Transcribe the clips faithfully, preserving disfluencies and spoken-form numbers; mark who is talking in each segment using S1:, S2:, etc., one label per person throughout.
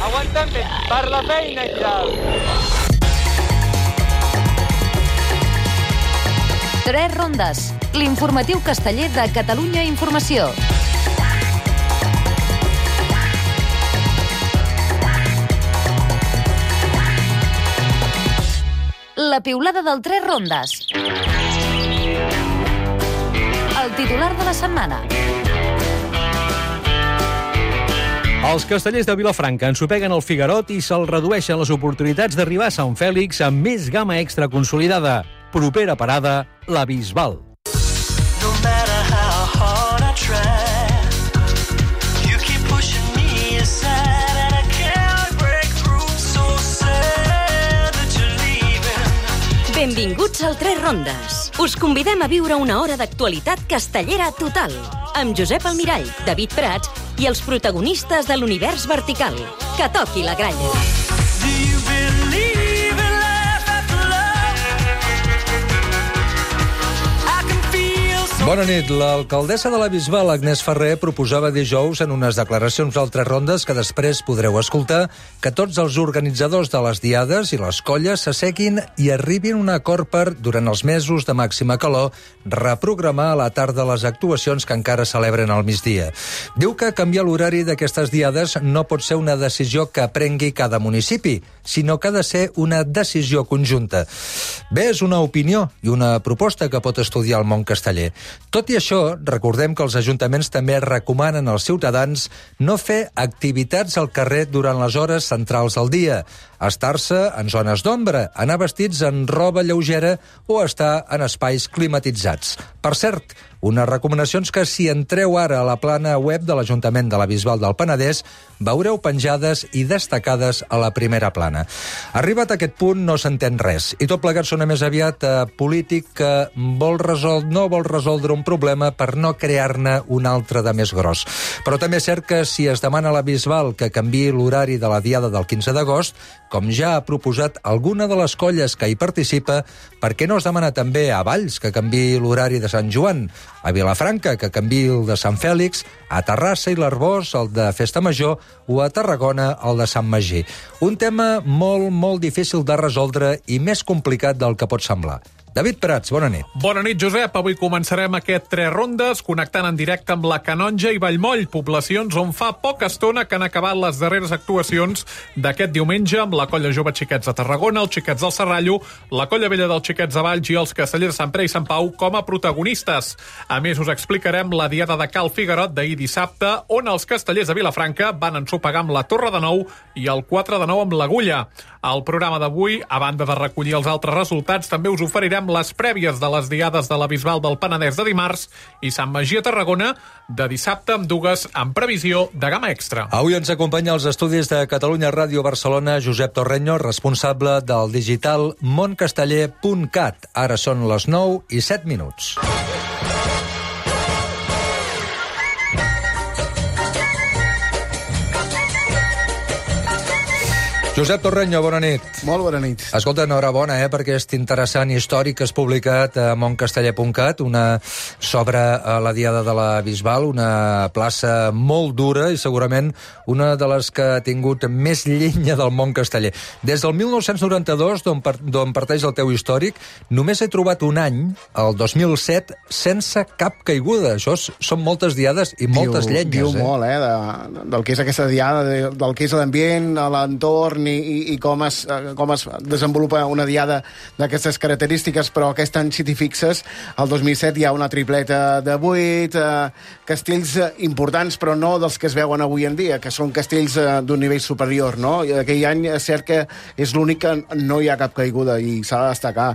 S1: Aguantem bé, per la feina i tal.
S2: Tres rondes, l'informatiu casteller de Catalunya Informació. La piulada del Tres rondes. El titular de la setmana.
S3: Els castellers de Vilafranca ensopeguen el Figarot i se'ls redueixen les oportunitats d'arribar a Sant Fèlix amb més gamma extra consolidada. Propera parada, la Bisbal.
S4: No matter how hard I try, you keep pushing me aside and I can't break through, so sad that you're leaving.
S5: Benvinguts al Tres Rondes. Us convidem a viure una hora d'actualitat castellera total, amb Josep Almirall, David Prats i els protagonistes de l'univers vertical. Que toqui la gralla.
S4: Do you believe in life after love? I can feel so.
S6: Bona nit. L'alcaldessa de la Bisbal, Agnès Ferrer, proposava dijous en unes declaracions al Tres Rondes que després podreu escoltar que tots els organitzadors de les diades i les colles s'asseguin i arribin a un acord per, durant els mesos de màxima calor, reprogramar a la tarda les actuacions que encara celebren al migdia. Diu que canviar l'horari d'aquestes diades no pot ser una decisió que prengui cada municipi, sinó que ha de ser una decisió conjunta. Bé, és una opinió i una proposta que pot estudiar el món casteller. Tot i això, recordem que els ajuntaments també recomanen als ciutadans no fer activitats al carrer durant les hores centrals del dia, estar-se en zones d'ombra, anar vestits en roba lleugera o estar en espais climatitzats. Per cert, unes recomanacions que, si entreu ara a la plana web de l'Ajuntament de la Bisbal del Penedès, veureu penjades i destacades a la primera plana. Arribat a aquest punt no s'entén res, i tot plegat sona més aviat a polític que vol resol... no vol resoldre un problema per no crear-ne un altre de més gros. Però també és cert que si es demana a la Bisbal que canviï l'horari de la diada del quinze d'agost, com ja ha proposat alguna de les colles que hi participa, per què no es demana també a Valls que canviï l'horari de Sant Joan, a Vilafranca que canviï el de Sant Fèlix, a Terrassa i l'Arboç el de Festa Major o a Tarragona el de Sant Magí. Un tema molt, molt difícil de resoldre i més complicat del que pot semblar. David Prats, bona nit.
S7: Bona nit, Josep. Avui començarem aquest Tres Rondes connectant en directe amb la Canonja i Vallmoll, poblacions on fa poca estona que han acabat les darreres actuacions d'aquest diumenge amb la Colla Jove Xiquets de Tarragona, els Xiquets del Serrallo, la Colla Vella dels Xiquets de Valls i els Castellers de Sant Pere i Sant Pau com a protagonistes. A més, us explicarem la diada de Cal Figarot d'ahir dissabte, on els castellers de Vilafranca van ensopegar amb la Torre de Nou i el quatre de nou amb l'Agulla. Al programa d'avui, a banda de recollir els altres resultats, també us oferirem les prèvies de les diades de la Bisbal del Penedès de dimarts i Sant Magí a Tarragona de dissabte, amb dues en previsió de gamma extra.
S6: Avui ens acompanya als estudis de Catalunya Ràdio Barcelona Josep Torreño, responsable del digital moncasteller punt cat. Ara són les nou i set minuts. Josep Torreño, bona nit.
S8: Molt bona nit.
S6: Escolta, enhorabona, eh, per aquest interessant històric que has publicat a moncasteller punt cat, una sobre la diada de la Bisbal, una plaça molt dura i segurament una de les que ha tingut més llenya del món casteller. Des del mil nou-cents noranta-dos, d'on par d'on parteix el teu històric, només he trobat un any, el dos mil set, sense cap caiguda. Això són moltes diades i moltes
S8: diu,
S6: llenyes.
S8: Diu
S6: eh?
S8: molt, eh, de, del que és aquesta diada, de, del que és l'ambient, l'entorn i, i, i com, es, com es desenvolupa una diada d'aquestes característiques, però aquest any, si t'hi fixes, el dos mil set hi ha una tripleta de vuit, eh, castells importants, però no dels que es veuen avui en dia, que són castells eh, d'un nivell superior, no? I aquell any és cert que és l'únic que no hi ha cap caiguda i s'ha de destacar.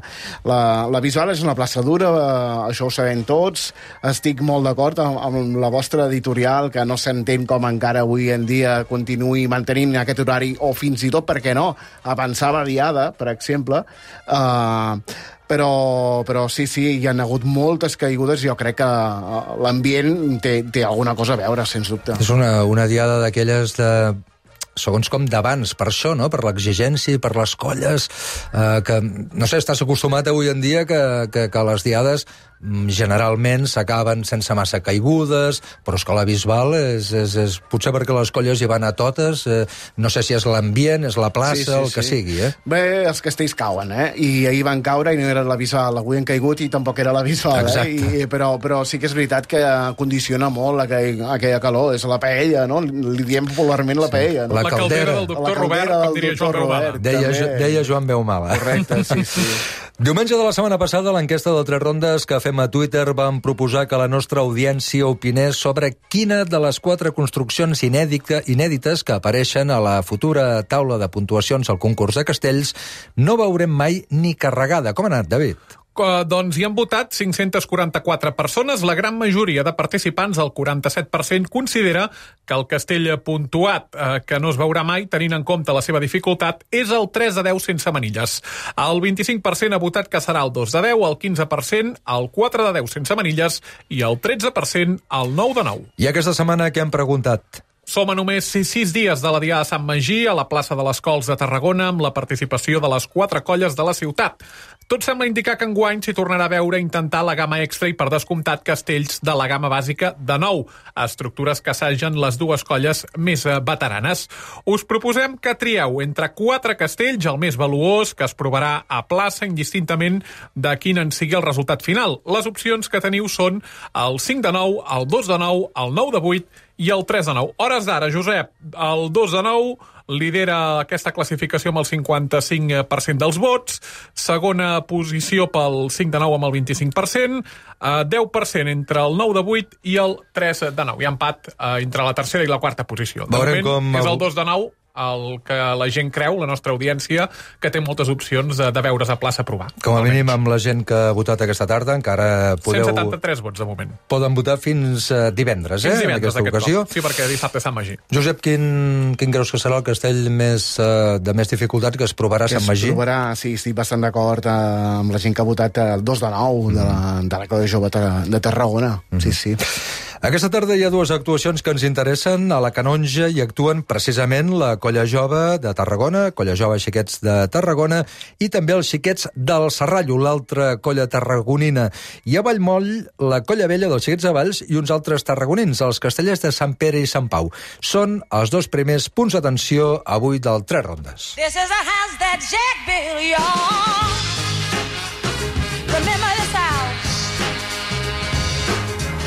S8: La, la Bisbal és una plaça dura, eh, això ho sabem tots, estic molt d'acord amb, amb la vostra editorial, que no s'entén com encara avui en dia continuï mantenint aquest horari, o fins i tot, per què no, avançar la diada, per exemple, eh, però, però sí, sí, hi ha hagut moltes caigudes i jo crec que l'ambient té, té alguna cosa a veure, sens dubte.
S6: És una, una diada d'aquelles de segons com d'abans, per això, no? Per l'exigència, per les colles, eh, que, no sé, estàs acostumat avui en dia que, que, que les diades generalment s'acaben sense massa caigudes, però és que la Bisbal és, és, és potser perquè les colles hi van a totes, eh, no sé si és l'ambient, és la plaça, sí, sí, el que sí. sigui, eh?
S8: Bé, els castells cauen, eh? I ahir van caure i no era la Bisbal, avui han caigut i tampoc era la Bisbal, eh? I, però, però sí que és veritat que condiciona molt aquell, aquella calor, és la paella, no? Li diem popularment la paella, no?
S7: La, la caldera del doctor Robert, com diria Joan Reumada.
S6: Deia, deia Joan Beumala.
S8: Correcte, sí, sí.
S6: Diumenge de la setmana passada, a l'enquesta de Tres Rondes que fem a Twitter, vam proposar que la nostra audiència opinés sobre quina de les quatre construccions inèdita, inèdites que apareixen a la futura taula de puntuacions al concurs de castells no veurem mai ni carregada. Com ha anat, David?
S7: Uh, doncs hi han votat cinc-centes quaranta-quatre persones. La gran majoria de participants, el quaranta-set per cent, considera que el castell puntuat, uh, que no es veurà mai, tenint en compte la seva dificultat, és el tres de deu sense manilles. El vint-i-cinc per cent ha votat que serà el dos de deu, el quinze per cent el quatre de deu sense manilles i el tretze per cent el nou de nou.
S6: I aquesta setmana què hem preguntat?
S7: Som a només sis dies de la Diada de Sant Magí a la plaça de les Cols de Tarragona amb la participació de les quatre colles de la ciutat. Tot sembla indicar que enguany s'hi tornarà a veure intentar la gamma extra i per descomptat castells de la gamma bàsica de nou, estructures que assagen les dues colles més veteranes. Us proposem que trieu entre quatre castells, el més valuós, que es provarà a plaça indistintament de quin en sigui el resultat final. Les opcions que teniu són el cinc de nou, el dos de nou, el nou de vuit i el tres de nou. Hores d'ara, Josep, el dos de nou lidera aquesta classificació amb el cinquanta-cinc per cent dels vots, segona posició pel cinc de nou amb el vint-i-cinc per cent, eh, deu per cent entre el nou de vuit i el tres de nou. Hi ha empat eh, entre la tercera i la quarta posició. De
S6: Veurem
S7: moment
S6: com...
S7: és el dos de nou el que la gent creu, la nostra audiència, que té moltes opcions de, de veure's a plaça a provar.
S6: Com a mínim amb la gent que ha votat aquesta tarda encara podeu...
S7: cent setanta-tres vots de moment.
S6: Poden votar fins uh, divendres, eh?
S7: Fins divendres,
S6: en aquesta ocasió.
S7: Cop. Sí, perquè dissabte Sant Magí.
S6: Josep, quin, quin creus que serà el castell més, uh, de més dificultat que es provarà a Sant Magí?
S8: Que es provarà, sí, estic bastant d'acord uh, amb la gent que ha votat el dos de nou mm. de la, de la Colla Jove de Tarragona. Mm. Sí, sí.
S6: Aquesta tarda hi ha dues actuacions que ens interessen. A la Canonja hi actuen precisament la Colla Jove de Tarragona, Colla Jove Xiquets de Tarragona, i també els Xiquets del Serrallo, l'altra colla tarragonina. I a Vallmoll, la Colla Vella dels Xiquets de Valls i uns altres tarragonins, els castellers de Sant Pere i Sant Pau. Són els dos primers punts d'atenció avui del Tres Rondes.
S9: This is a house that Jack built, y'all. Remember this house.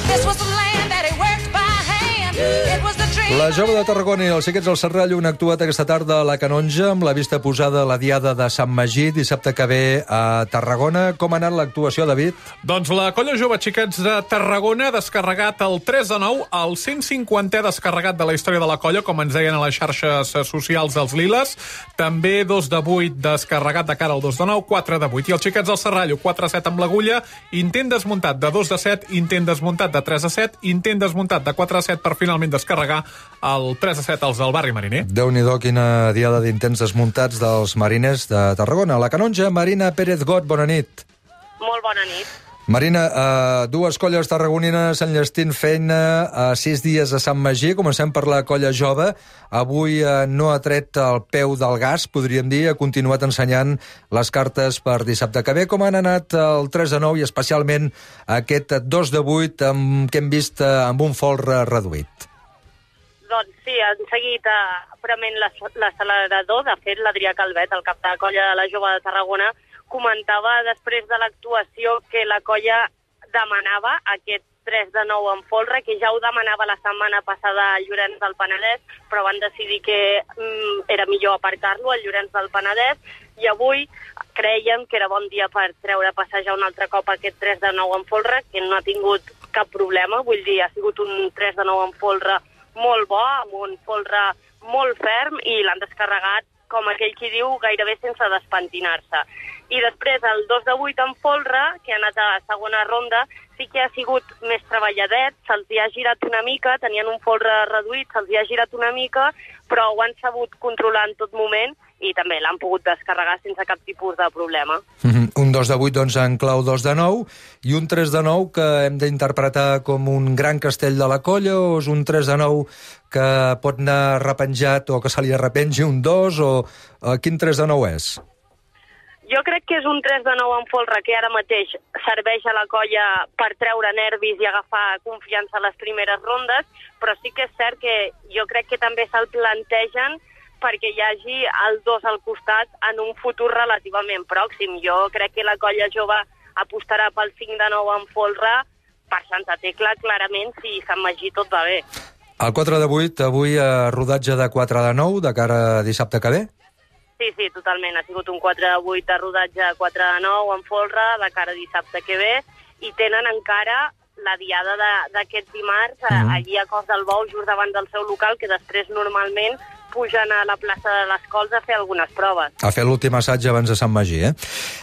S9: This was the land that he worked by hand. It was the dream.
S6: La Jove de Tarragona i els Xiquets del Serrallo han actuat aquesta tarda a la Canonja amb la vista posada a la Diada de Sant Magí dissabte que ve a Tarragona. Com ha anat l'actuació, David?
S7: Doncs la Colla Jove Xiquets de Tarragona ha descarregat el tres de nou, el cent cinquantè descarregat de la història de la colla, com ens deien a les xarxes socials dels Liles. També dos de vuit descarregat de cara al dos de nou, quatre de vuit. I els Xiquets del Serrallo, quatre a set amb l'agulla, intent desmuntat de dos de set, intent desmuntat de tres a set, intent desmuntat de quatre a set per finalment descarregar el tres a set als del barri mariner.
S6: Déu-n'hi-do, quina diada d'intents desmuntats dels mariners de Tarragona. A la Canonja, Marina Pérez Got, bona nit.
S10: Molt bona nit.
S6: Marina, uh, dues colles tarragonines enllestint feina a uh, sis dies a Sant Magí. Comencem per la Colla Jove. Avui uh, no ha tret el peu del gas, podríem dir, ha continuat ensenyant les cartes per dissabte que ve. Com han anat el tres de nou i especialment aquest dos de vuit amb, que hem vist uh, amb un folre reduït?
S10: Doncs sí, han seguit eh, prement l'accelerador. De fet, l'Adrià Calvet, el cap de la colla de la Jove de Tarragona, comentava després de l'actuació que la colla demanava aquest tres de nou en folre, que ja ho demanava la setmana passada a Llorenç del Penedès, però van decidir que mm, era millor aparcar-lo a Llorenç del Penedès, i avui creiem que era bon dia per treure a passejar un altre cop aquest tres de nou en folre, que no ha tingut cap problema. Vull dir, ha sigut un tres de nou en folre molt bo, amb un folre molt ferm, i l'han descarregat, com aquell qui diu, gairebé sense despentinar-se. I després el dos de vuit en folre, que ha anat a la segona ronda, sí que ha sigut més treballadet, se'ls hi ha girat una mica, tenien un folre reduït, se'ls hi ha girat una mica, però ho han sabut controlar en tot moment i també l'han pogut descarregar sense cap tipus de problema.
S6: Mm-hmm. Un dos de vuit, doncs, en clau dos de nou, i un tres de nou que hem d'interpretar com un gran castell de la colla, o és un tres de nou que pot anar repenjat o que se li arrepengi un dos, o uh, quin tres de nou és?
S10: Jo crec que és un tres de nou en folre que ara mateix serveix a la colla per treure nervis i agafar confiança a les primeres rondes, però sí que és cert que jo crec que també se'l plantegen perquè hi hagi el dos al costat en un futur relativament pròxim. Jo crec que la colla jove apostarà pel cinc de nou en folre per Santa Tecla, clarament, si Sant Magí tot va bé.
S6: El quatre de vuit, avui a rodatge de quatre de nou, de cara a dissabte que ve?
S10: Sí, sí, totalment. Ha sigut un quatre de vuit de rodatge quatre de nou en folre, de cara a dissabte que ve, i tenen encara la diada d'aquest dimarts mm -hmm. allí a Cos del Bou, just davant del seu local, que després normalment pugen a la plaça de les Cols a fer algunes proves.
S6: A fer l'últim assaig abans de Sant Magí, eh?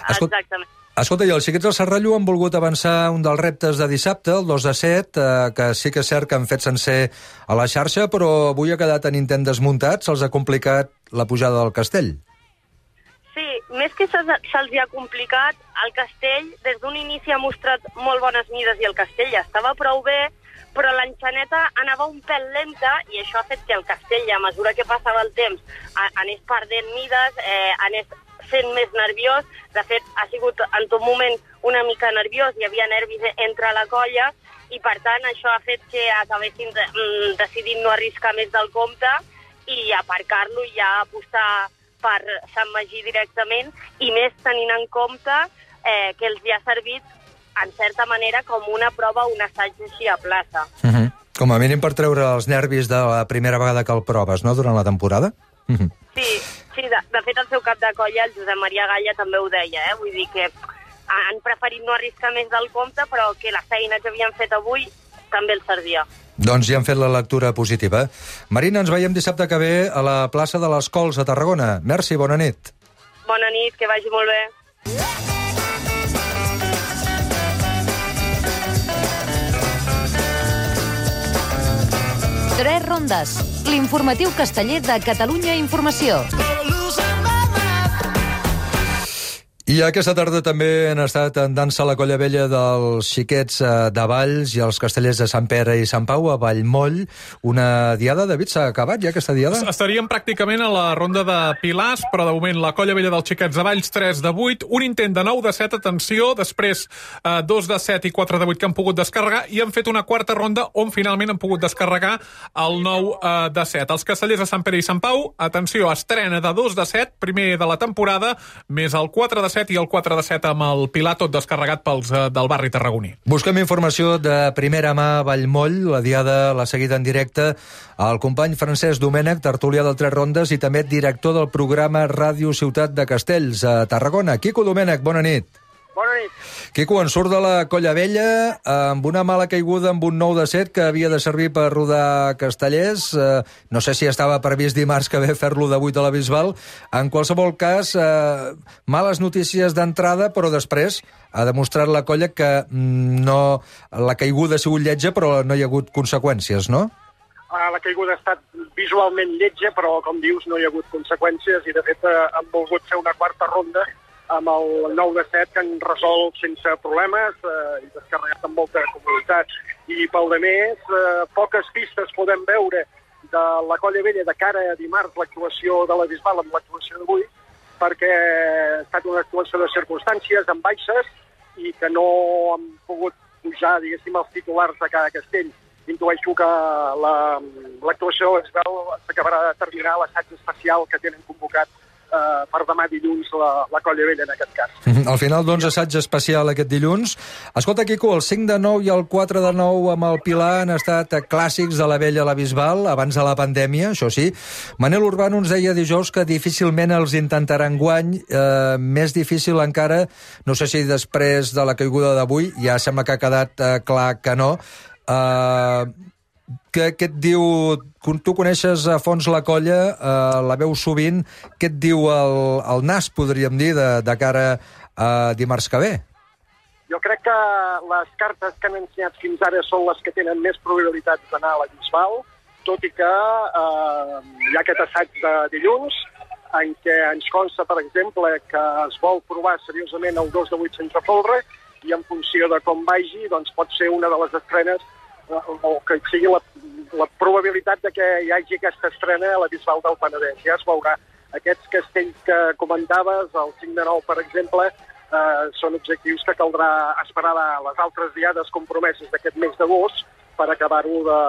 S6: Escol...
S10: Exactament.
S6: Escolta, i els xiquets del Serrallo han volgut avançar un dels reptes de dissabte, el dos de set, eh, que sí que és cert que han fet sencer a la xarxa, però avui ha quedat en intent desmuntat, se'ls ha complicat la pujada del castell.
S10: Sí, més que se'ls se ha complicat, el castell des d'un inici ha mostrat molt bones mides i el castell ja estava prou bé, però l'enxaneta anava un pèl lenta i això ha fet que el castell, a mesura que passava el temps, anés perdent mides, eh, anés sent més nerviós. De fet, ha sigut en tot moment una mica nerviós, hi havia nervis entre la colla i, per tant, això ha fet que acabessin de, mm, decidint no arriscar més del compte i aparcar-lo i ja apostar per Sant Magí directament, i més tenint en compte eh, que els hi ha servit, en certa manera, com una prova, un assaig així a plaça.
S6: Uh -huh. Com a mínim per treure els nervis de la primera vegada que el proves, no?, durant la temporada? Uh -huh.
S10: Sí, sí de, de fet el seu cap de colla, el Josep Maria Galla, també ho deia, eh? Vull dir que han preferit no arriscar més del compte, però que la feina que havien fet avui també els servia.
S6: Doncs ja han fet la lectura positiva. Marina, ens veiem dissabte que ve a la plaça de les Cols a Tarragona. Merci, bona nit.
S10: Bona nit, que vagi molt bé.
S2: Tres rondes. L'informatiu casteller de Catalunya Informació.
S6: I aquesta tarda també han estat en dansa la colla vella dels xiquets de Valls i els castellers de Sant Pere i Sant Pau a Vallmoll. Una diada, David, s'ha acabat ja aquesta diada?
S7: Estaríem pràcticament a la ronda de Pilars, però de moment la colla vella dels xiquets de Valls tres de vuit, un intent de nou de set, atenció, després eh, dos de set i quatre de vuit que han pogut descarregar, i han fet una quarta ronda on finalment han pogut descarregar el nou eh, de set. Els castellers de Sant Pere i Sant Pau, atenció, estrena de dos de set, primer de la temporada, més el quatre de set i el quatre de set amb el Pilar, tot descarregat pels eh, del barri tarragoní.
S6: Busquem informació de primera mà a Vallmoll. La diada l'ha seguida en directe el company Francesc Domènech, tertulià del Tres Rondes i també director del programa Ràdio Ciutat de Castells a Tarragona. Quico Domènech, bona nit.
S11: Bona nit.
S6: Quico, en surt de la colla vella amb una mala caiguda amb un nou de set que havia de servir per rodar castellers. Eh, no sé si estava previst dimarts que ve fer-lo de vuit a la Bisbal. En qualsevol cas, eh, males notícies d'entrada, però després ha demostrat la colla que no, la caiguda ha sigut lletja, però no hi ha hagut conseqüències, no?
S11: La caiguda ha estat visualment lletja, però, com dius, no hi ha hagut conseqüències i, de fet, han volgut fer una quarta ronda amb el nou de set que han resolt sense problemes eh, i descarregat amb molta comoditat. I pel de més, eh, poques pistes podem veure de la colla vella de cara a dimarts l'actuació de la Bisbal amb l'actuació d'avui, perquè ha estat una actuació de circumstàncies amb baixes i que no han pogut pujar, diguéssim, els titulars de cada castell. Intueixo que l'actuació la, es veu s'acabarà de terminar l'assaig especial que tenen convocat Uh, per demà dilluns la, la colla vella, en aquest cas.
S6: Al final, doncs, assaig especial aquest dilluns. Escolta, Quico, el cinc de nou i el quatre de nou amb el Pilar han estat clàssics de la vella a la Bisbal, abans de la pandèmia, això sí. Manel Urbano ens deia dijous que difícilment els intentaran guany, eh, més difícil encara, no sé si després de la caiguda d'avui, ja sembla que ha quedat eh, clar que no. Eh... Què, què et diu... Tu coneixes a fons la colla, eh, la veus sovint. Què et diu el, el nas, podríem dir, de, de cara a dimarts que ve?
S11: Jo crec que les cartes que han ensenyat fins ara són les que tenen més probabilitats d'anar a la Bisbal, tot i que eh, hi ha aquest assaig de dilluns, en què ens consta, per exemple, que es vol provar seriosament el dos de vuit sense folre, i en funció de com vagi, doncs pot ser una de les estrenes o que sigui la, la probabilitat de que hi hagi aquesta estrena a la Bisbal del Penedès. Ja es veurà. aquests castells que comentaves, el cinc de nou, per exemple, eh, són objectius que caldrà esperar les altres diades compromeses d'aquest mes d'agost per acabar-ho de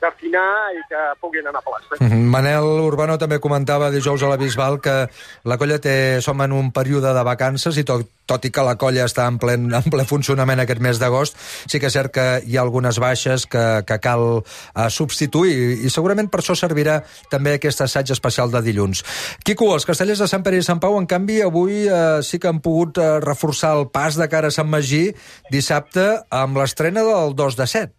S11: d'afinar i que puguin anar a plaça.
S6: Mm -hmm. Manel Urbano també comentava dijous a la Bisbal que la colla té, som en un període de vacances i tot, tot i que la colla està en ple, en ple funcionament aquest mes d'agost, sí que és cert que hi ha algunes baixes que, que cal uh, substituir i segurament per això servirà també aquest assaig especial de dilluns. Quico, els castellers de Sant Pere i Sant Pau, en canvi, avui uh, sí que han pogut uh, reforçar el pas de cara a Sant Magí dissabte amb l'estrena del dos de set.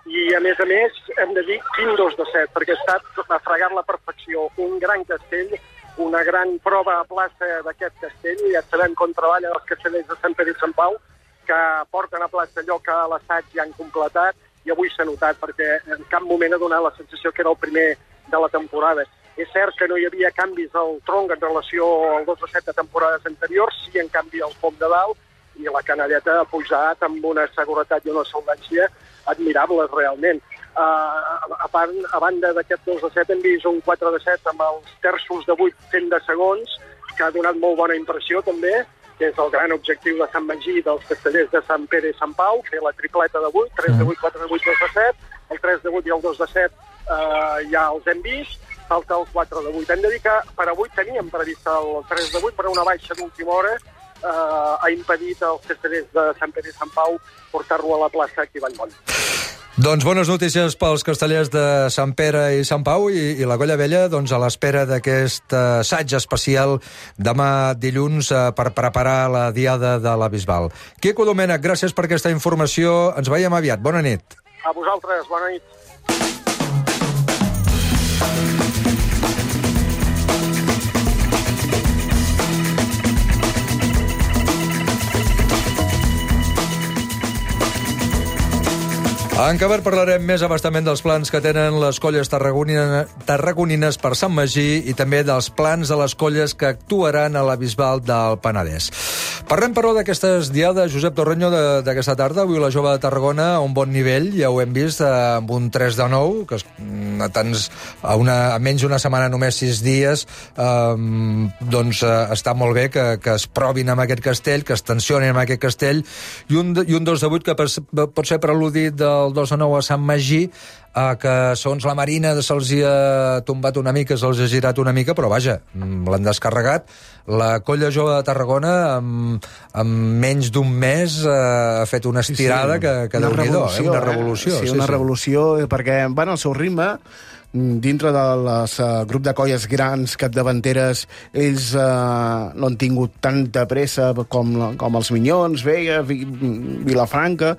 S11: I, a més a més, hem de dir quin dos de set, perquè ha estat a fregar la perfecció. Un gran castell, una gran prova a plaça d'aquest castell, i ja sabem com treballen els castellers de Sant Pere i Sant Pau, que porten a plaça allò que a l'assaig ja han completat, i avui s'ha notat, perquè en cap moment ha donat la sensació que era el primer de la temporada. És cert que no hi havia canvis al tronc en relació al dos de set de temporades anteriors, sí, en canvi, el foc de dalt, i la canalleta ha pujat amb una seguretat i una solvència admirables, realment. Uh, a, part, a banda d'aquest dos de set hem vist un quatre de set amb els terços de vuit fent de segons, que ha donat molt bona impressió, també, que és el gran objectiu de Sant Magí dels castellers de Sant Pere i Sant Pau, fer la tripleta de vuit, tres de vuit, quatre de vuit, dos de set, el tres de vuit i el dos de set uh, ja els hem vist, falta el quatre de vuit. Hem de dir que per avui teníem previst el tres de vuit, però una baixa d'última hora uh, ha impedit als castellers de Sant Pere i Sant Pau portar-lo a la plaça aquí a Vallmoll.
S6: Doncs bones notícies pels castellers de Sant Pere i Sant Pau i, i la Colla Vella, doncs a l'espera d'aquest assaig especial demà dilluns eh, per preparar la diada de la Bisbal. Quico Domènech, gràcies per aquesta informació. Ens veiem aviat. Bona nit.
S11: A vosaltres, bona nit.
S6: En acabar parlarem més abastament dels plans que tenen les colles tarragonines, tarragonines per Sant Magí i també dels plans de les colles que actuaran a la Bisbal del Penedès. Parlem, però, d'aquestes diades, Josep Torreño, d'aquesta tarda. Avui la Jove de Tarragona a un bon nivell, ja ho hem vist, amb un tres de nou, que a, tants, a, una, a menys d'una setmana, només sis dies, eh, doncs eh, està molt bé que, que es provin amb aquest castell, que es tensionin amb aquest castell, i un, i un dos de vuit que pot ser preludit del el dos de nou a Sant Magí, eh, que segons la Marina se'ls ha tombat una mica, se'ls ha girat una mica, però vaja, l'han descarregat. La Colla Jove de Tarragona, amb, amb menys d'un mes, eh, ha fet una estirada sí, sí. que, que déu-n'hi-do, eh? Una revolució.
S8: Eh? Sí, una
S6: sí,
S8: revolució, sí. Perquè van al seu ritme, dintre del uh, grup de colles grans capdavanteres, ells uh, no han tingut tanta pressa com, com els Minyons, Vega, Vilafranca,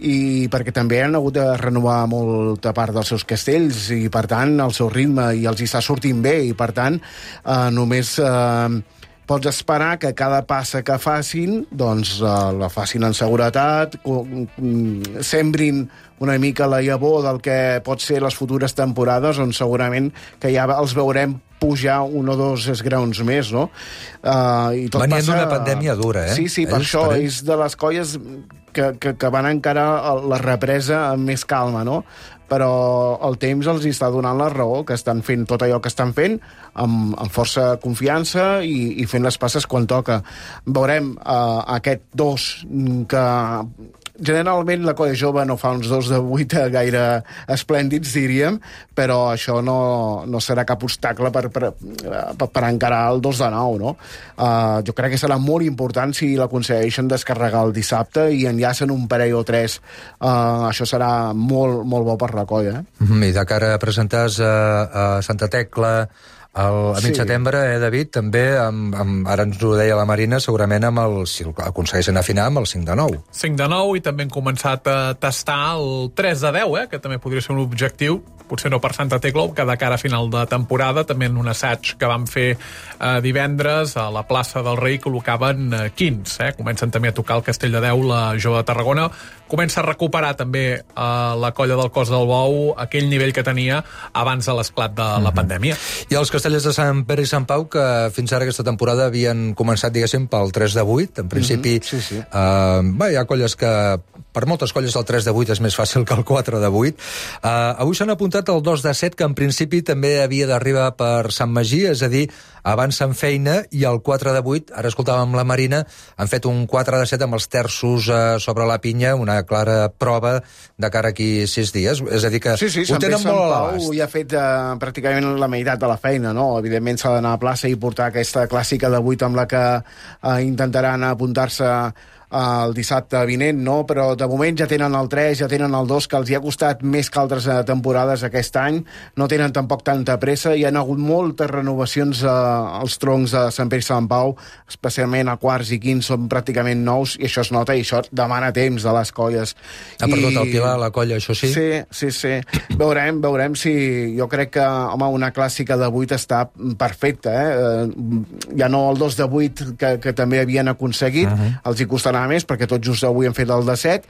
S8: i perquè també han hagut de renovar molta part dels seus castells i, per tant, el seu ritme, i els hi està sortint bé, i, per tant, uh, només... Uh, pots esperar que cada passa que facin doncs uh, la facin en seguretat, sembrin una mica la llavor del que pot ser les futures temporades, on segurament que ja els veurem pujar un o dos esgraons més, no? Uh, i tot
S6: Venien
S8: passa...
S6: d'una pandèmia dura, eh?
S8: Sí, sí, per
S6: Ells,
S8: això
S6: per
S8: és de les colles que, que, que van encarar la represa amb més calma, no? Però el temps els està donant la raó, que estan fent tot allò que estan fent amb, amb força confiança i, i fent les passes quan toca. Veurem uh, aquest dos que... Generalment la colla jove no fa uns dos de vuit gaire esplèndids, diríem, però això no, no serà cap obstacle per, per, per, per encarar el dos de nou, no? Uh, jo crec que serà molt important si l'aconsegueixen descarregar el dissabte i enllacen un parell o tres. Uh, això serà molt, molt bo per la colla. Eh?
S6: Mm, I de cara a presentar a, a Santa Tecla... El, a mig sí. setembre, eh, David, també, amb, amb, ara ens ho deia la Marina, segurament amb el, si aconsegueixen afinar, amb el cinc de nou.
S7: cinc de nou, i també hem començat a tastar el tres de deu, eh, que també podria ser un objectiu, potser no per Santa Tecla, que de cara a final de temporada, també en un assaig que vam fer eh, divendres a la plaça del Rei, col·locaven eh, quinze, eh, comencen també a tocar el Castell de Deu, la Jove de Tarragona, comença a recuperar també eh, la colla del Cos del Bou, aquell nivell que tenia abans de l'esclat de la mm-hmm. pandèmia.
S6: I els castellers de Sant Pere i Sant Pau, que fins ara aquesta temporada havien començat, diguéssim, pel tres de vuit, en principi,
S8: mm-hmm. sí, sí.
S6: Eh, bé, hi ha colles que per moltes colles el tres de vuit és més fàcil que el quatre de vuit. Uh, avui s'han apuntat el dos de set, que en principi també havia d'arribar per Sant Magí, és a dir, abans en feina, i el quatre de vuit, ara escoltàvem la Marina, han fet un quatre de set amb els terços uh, sobre la pinya, una clara prova de cara aquí sis dies. És a dir, que
S8: sí, sí,
S6: ho tenen molt a l'abast.
S8: Ja ha fet uh, pràcticament la meitat de la feina, no? Evidentment s'ha d'anar a plaça i portar aquesta clàssica de vuit amb la que uh, intentaran apuntar-se el dissabte vinent, no? Però de moment ja tenen el tres, ja tenen el dos, que els hi ha costat més que altres temporades aquest any, no tenen tampoc tanta pressa, hi ha hagut moltes renovacions eh, als troncs de Sant Pere i Sant Pau, especialment a quarts i quints són pràcticament nous, i això es nota, i això demana temps de les colles.
S6: Ha perdut el Pilar, la colla, això sí?
S8: Sí, sí, sí. Veurem, veurem si... Jo crec que, home, una clàssica de vuit està perfecta, eh? Ja no el dos de vuit que, que també havien aconseguit, uh-huh. els hi costarà més, perquè tot just avui han fet el de set,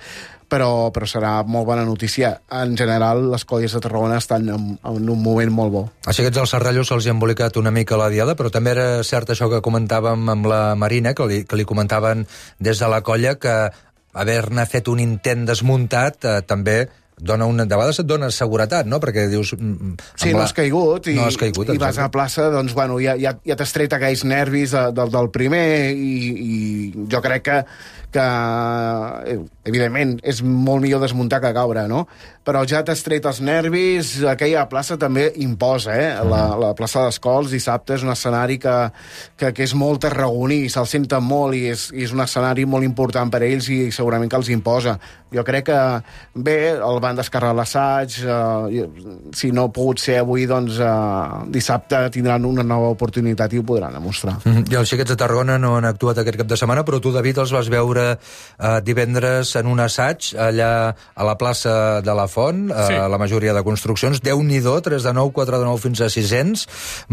S8: però, però serà molt bona notícia. En general, les colles de Tarragona estan en, en un moment molt bo.
S6: Així que els serrallos se'ls hi ha embolicat una mica la diada, però també era cert això que comentàvem amb la Marina, que li, que li comentaven des de la colla, que haver-ne fet un intent desmuntat eh, també dona una, de vegades et dona seguretat, no? Perquè dius...
S8: Sí, no has caigut, i,
S6: no has caigut,
S8: i vas a plaça, doncs, bueno, ja, ja, ja t'has tret aquells nervis de, del, del primer, i, i jo crec que, que, evidentment, és molt millor desmuntar que caure, no? Però ja t'has tret els nervis, aquella plaça també imposa, eh? La, la plaça d'Escols dissabte és un escenari que, que, que és molt tarragoní, se'l senten molt, i és, i és un escenari molt important per a ells, i segurament que els imposa. Jo crec que, bé, el van descarregar l'assaig, eh, si no ha pogut ser avui, doncs eh, dissabte tindran una nova oportunitat i ho podran demostrar.
S6: Mm-hmm. I els xiquets de Tarragona no han actuat aquest cap de setmana, però tu, David, els vas veure eh, divendres en un assaig allà a la plaça de la Font, eh, sí. La majoria de construccions. Déu-n'hi-do, tres de nou, quatre de nou fins a sisens,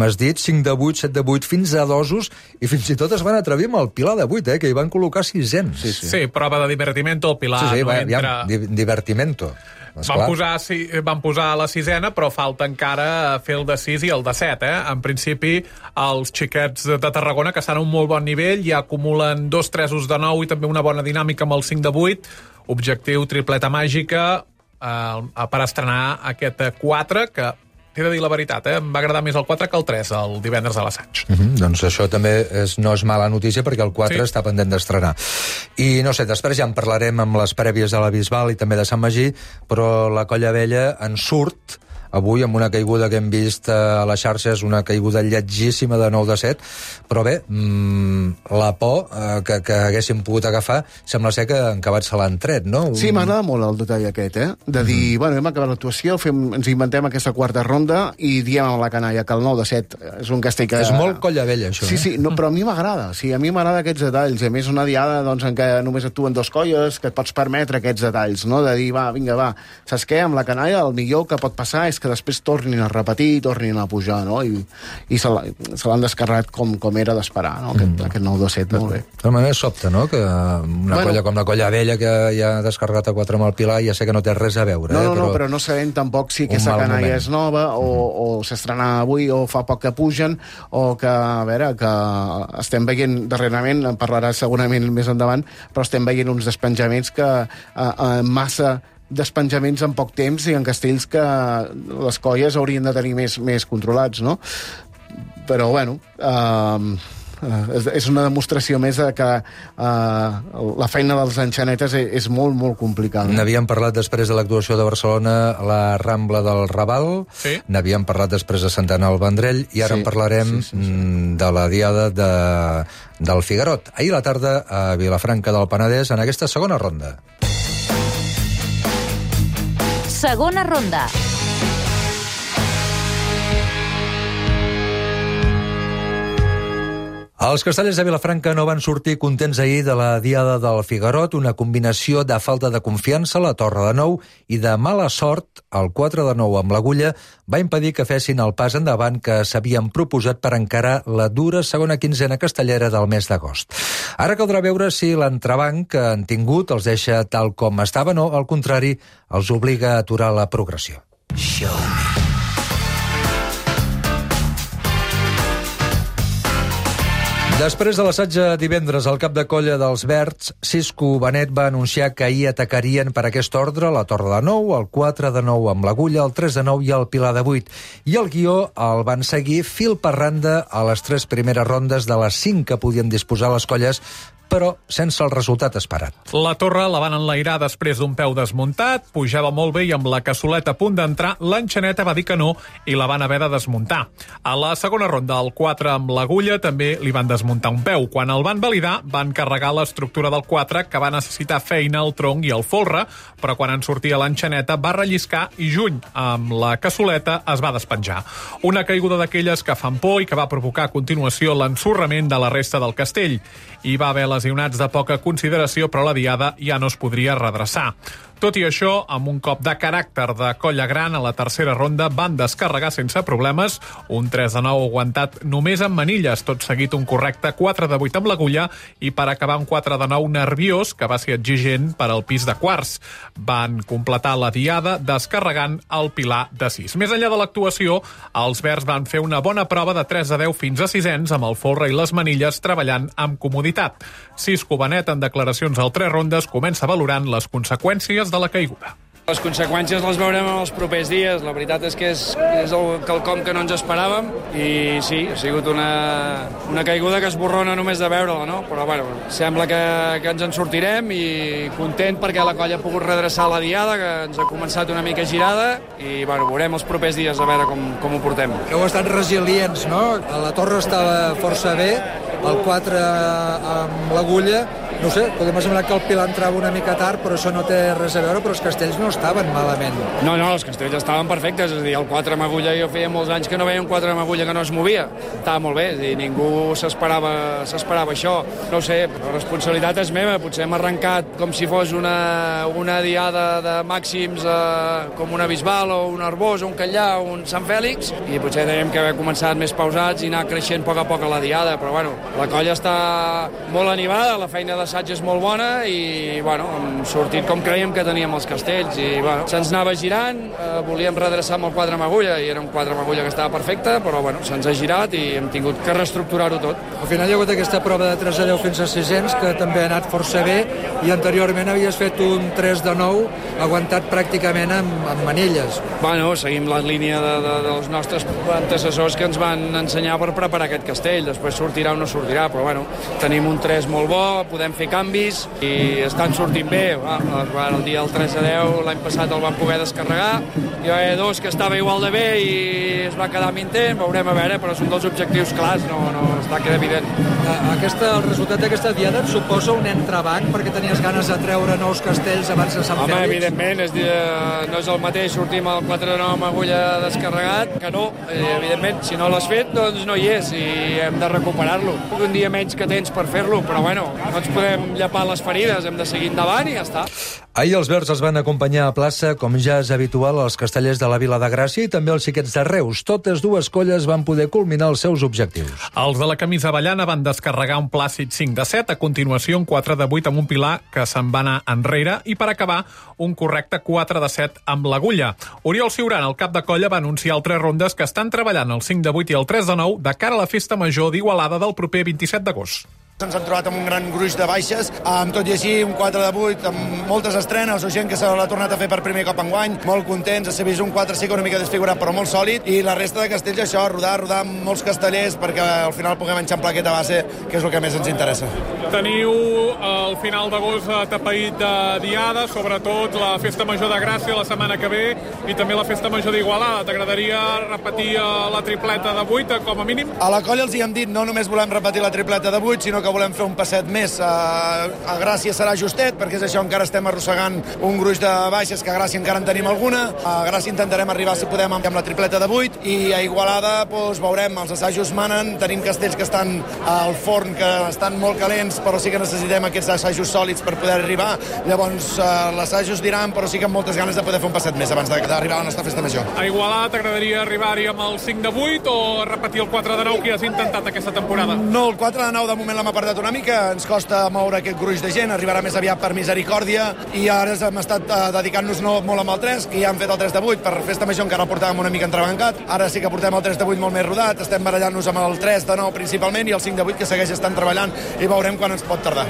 S6: m'has dit, cinc de vuit, set de vuit fins a dosos, i fins i tot es van atrevir amb el Pilar de vuit, eh, que hi van col·locar sisens.
S7: Sí, sí. sí, prova de divertimento, el Pilar.
S6: Sí, sí,
S7: no
S6: va,
S7: entra...
S6: ja, divertimento.
S7: Van posar, sí, van posar la sisena, però falta encara fer el de sis i el de set, eh? En principi, els xiquets de Tarragona, que estan a un molt bon nivell, ja acumulen dos tresos de nou i també una bona dinàmica amb el cinc de vuit. Objectiu tripleta màgica eh, per estrenar aquest quatre, que t'he de dir la veritat, eh? Em va agradar més el quatre que el tres, el divendres a l'assaig.
S6: Mm-hmm, doncs això també és, no és mala notícia, perquè el quatre sí. està pendent d'estrenar. I no sé, després ja en parlarem amb les prèvies de la Bisbal i també de Sant Magí, però la Colla Vella en surt avui amb una caiguda que hem vist a les xarxes, una caiguda lletgíssima de nou de set, però bé, mmm, la por eh, que, que haguéssim pogut agafar sembla ser que en acabat se l'han tret, no?
S8: Sí, m'agrada molt el detall aquest, eh? De dir, mm. bueno, hem acabat l'actuació, fem, ens inventem aquesta quarta ronda i diem a la canalla que el nou de set és un castell que...
S6: És molt Colla Vella, això,
S8: sí,
S6: eh?
S8: Sí, no, però a mi m'agrada, sí, a mi m'agrada aquests detalls, a més una diada doncs, en què només actuen dos colles, que et pots permetre aquests detalls, no? De dir, va, vinga, va, saps què? Amb la canalla el millor que pot passar és que després tornin a repetir, tornin a pujar, no? I, i se l'han descarregat com, com era d'esperar, no? Aquest, mm. aquest nou de set, molt bé.
S6: De manera sobte, no? Que una bueno, colla com la Colla Vella, que ja ha descarregat a quatre amb el Pilar, ja sé que no té res a veure.
S8: No, no,
S6: eh? però...
S8: no, però no sabem tampoc si aquesta canalla és nova, o, mm. o s'estrena avui, o fa poc que pugen, o que, a veure, que estem veient darrerament, en parlarà segurament més endavant, però estem veient uns despenjaments que eh, eh, massa despenjaments en poc temps i en castells que les colles haurien de tenir més, més controlats, no? Però, bueno, eh, és, és una demostració més de que eh, la feina dels enxanetes és, és molt, molt complicada.
S6: N'havíem parlat després de l'actuació de Barcelona a la Rambla del Raval, sí. N'havíem parlat després de Santana al Vendrell, i ara sí, en parlarem sí, sí, sí. de la diada de, del Figarot. Ahir a la tarda a Vilafranca del Penedès, en aquesta segona ronda.
S2: Segona ronda.
S6: Els castellers de Vilafranca no van sortir contents ahir de la diada del Figarot, una combinació de falta de confiança a la torre de nou i de mala sort, el quatre de nou amb l'agulla va impedir que fessin el pas endavant que s'havien proposat per encarar la dura segona quinzena castellera del mes d'agost. Ara caldrà veure si l'entrebanc que han tingut els deixa tal com estaven o, al contrari, els obliga a aturar la progressió. Show me. Després de l'assaig de divendres, el cap de colla dels Verds, Cisco Benet, va anunciar que ahir atacarien per aquest ordre la Torre de nou, el quatre de nou amb l'Agulla, el tres de nou i el Pilar de vuit. I el guió el van seguir fil per randa a les tres primeres rondes de les cinc que podien disposar les colles, però sense el resultat esperat.
S7: La torre la van enlairar després d'un peu desmuntat, pujava molt bé i amb la cassoleta a punt d'entrar, l'enxaneta va dir que no i la van haver de desmuntar. A la segona ronda, el quatre amb l'Agulla, també li van desmuntar un peu. Quan el van validar, van carregar l'estructura del quatre, que va necessitar feina al tronc i al folre, però quan en sortia l'enxaneta va relliscar i juny, amb la cassoleta, es va despenjar. Una caiguda d'aquelles que fan por i que va provocar a continuació l'ensorrament de la resta del castell. Hi va haver lesionats de poca consideració, però la diada ja no es podria redreçar. Tot i això, amb un cop de caràcter de colla gran, a la tercera ronda van descarregar sense problemes, un tres de nou aguantat només amb manilles, tot seguit un correcte quatre de vuit amb l'Agulla i per acabar un quatre de nou nerviós, que va ser exigent per al pis de quarts. Van completar la diada descarregant el Pilar de sis. Més enllà de l'actuació, els Verds van fer una bona prova de tres de deu fins a sisens amb el folre i les manilles treballant amb comoditat. Cisco Benet, en declaracions al tres rondes, comença valorant les conseqüències de la caiguda.
S12: Les conseqüències les veurem en els propers dies. La veritat és que és, és el quelcom que no ens esperàvem i sí, ha sigut una, una caiguda que esborrona només de veure-la, no? Però bueno, sembla que, que ens en sortirem i content perquè la colla ha pogut redreçar la diada, que ens ha començat una mica girada i bueno, veurem els propers dies a veure com, com ho portem.
S6: Heu estat resilients, no? La torre estava força bé, el quatre amb l'Agulla, no sé, podem semblar que el Pilar entrava una mica tard, però això no té res a veure, però els castells no estaven malament.
S12: No, no, els castells estaven perfectes, és a dir, el quatre amb Agulla, jo feia molts anys que no veia un quatre amb Agulla que no es movia. Estava molt bé, és a dir, ningú s'esperava s'esperava això. No ho sé, la responsabilitat és meva, potser hem arrencat com si fos una, una diada de màxims eh, com una Bisbal o un Arbós o un Catllà o un Sant Fèlix, i potser teníem que haver començat més pausats i anar creixent a poc a poc a la diada, però bueno, la colla està molt animada, la feina de l'assaig és molt bona i bueno, hem sortit com creiem que teníem els castells i bueno, se'ns anava girant, eh, volíem redreçar amb el quatre amb Agulla i era un quatre amb Agulla que estava perfecte, però bueno, se'ns ha girat i hem tingut que reestructurar-ho tot.
S6: Al final hi ha hagut aquesta prova de tres de deu fins a sisens que també ha anat força bé i anteriorment havies fet un tres de nou aguantat pràcticament amb, amb manilles.
S12: Bueno, seguim la línia de, de, dels nostres antecessors que ens van ensenyar per preparar aquest castell, després sortirà o no sortirà, però bueno, tenim un tres molt bo, podem fer canvis i estan sortint bé. Va, el dia del tres a deu l'any passat el van poder descarregar, hi va haver dos que estava igual de bé i es va quedar amb intent, veurem a veure, però és un dels objectius clars, no, no està queda evident.
S6: Aquesta, el resultat d'aquesta diada et suposa un entrebanc perquè tenies ganes de treure nous castells abans de Sant
S12: Home,
S6: Fèlix?
S12: evidentment, és, no és el mateix sortir amb el quatre de nou amb Agulla descarregat que no, evidentment, si no l'has fet doncs no hi és i hem de recuperar-lo. Un dia menys que tens per fer-lo, però bueno, no ens podem llepar les ferides, hem de seguir endavant i ja està.
S6: Ahir els Verds els van acompanyar a plaça, com ja és habitual, als castellers de la Vila de Gràcia i també els xiquets de Reus. Totes dues colles van poder culminar els seus objectius.
S7: Els de la camisa avellana van descarregar un plàcid cinc de set, a continuació un quatre de vuit amb un Pilar que se'n va anar enrere i per acabar un correcte quatre de set amb l'Agulla. Oriol Ciurán, el cap de colla, va anunciar al tres rondes que estan treballant el cinc de vuit i el tres de nou de cara a la festa major d'Igualada del proper vint-i-set d'agost.
S13: Ens han trobat amb un gran gruix de baixes, amb tot i així un quatre de vuit, amb moltes estrenes o gent que se l'ha tornat a fer per primer cop enguany, molt contents, s'ha vist un quatre sí que una mica desfigurat però molt sòlid, i la resta de castells això, rodar, rodar amb molts castellers perquè al final puguem enxamplar aquesta base, que és el que més ens interessa.
S7: Teniu el final d'agost atapeït de diada, sobretot la festa major de Gràcia la setmana que ve i també la festa major d'Igualada. T'agradaria repetir la tripleta de vuit com a mínim?
S13: A la colla els hi hem dit, no només volem repetir la tripleta de vuit, sinó que volem fer un passet més. A, a Gràcia serà justet, perquè és això, encara estem arrossegant un gruix de baixes, que a Gràcia encara en tenim alguna. A Gràcia intentarem arribar, si podem, amb la tripleta de vuit, i a Igualada doncs, veurem, els assajos manen, tenim castells que estan al forn, que estan molt calents, però sí que necessitem aquests assajos sòlids per poder arribar. Llavors, eh, l'assaig us diran, però sí que amb moltes ganes de poder fer un passet més abans d'arribar a la nostra festa major.
S7: A Igualada t'agradaria arribar-hi amb el cinc de vuit o repetir el quatre de nou que has intentat aquesta temporada?
S13: No, el quatre de nou de moment l'hem apartat una mica, ens costa moure aquest gruix de gent, arribarà més aviat per misericòrdia, i ara hem estat uh, dedicant-nos no, molt amb el tres, que ja hem fet el tres de vuit, per Festa Major encara el portàvem una mica entrebancat, ara sí que portem el tres de vuit molt més rodat, estem barallant-nos amb el tres de nou principalment i el cinc de vuit que segueix estant treballant i veurem quan ens pot tardar.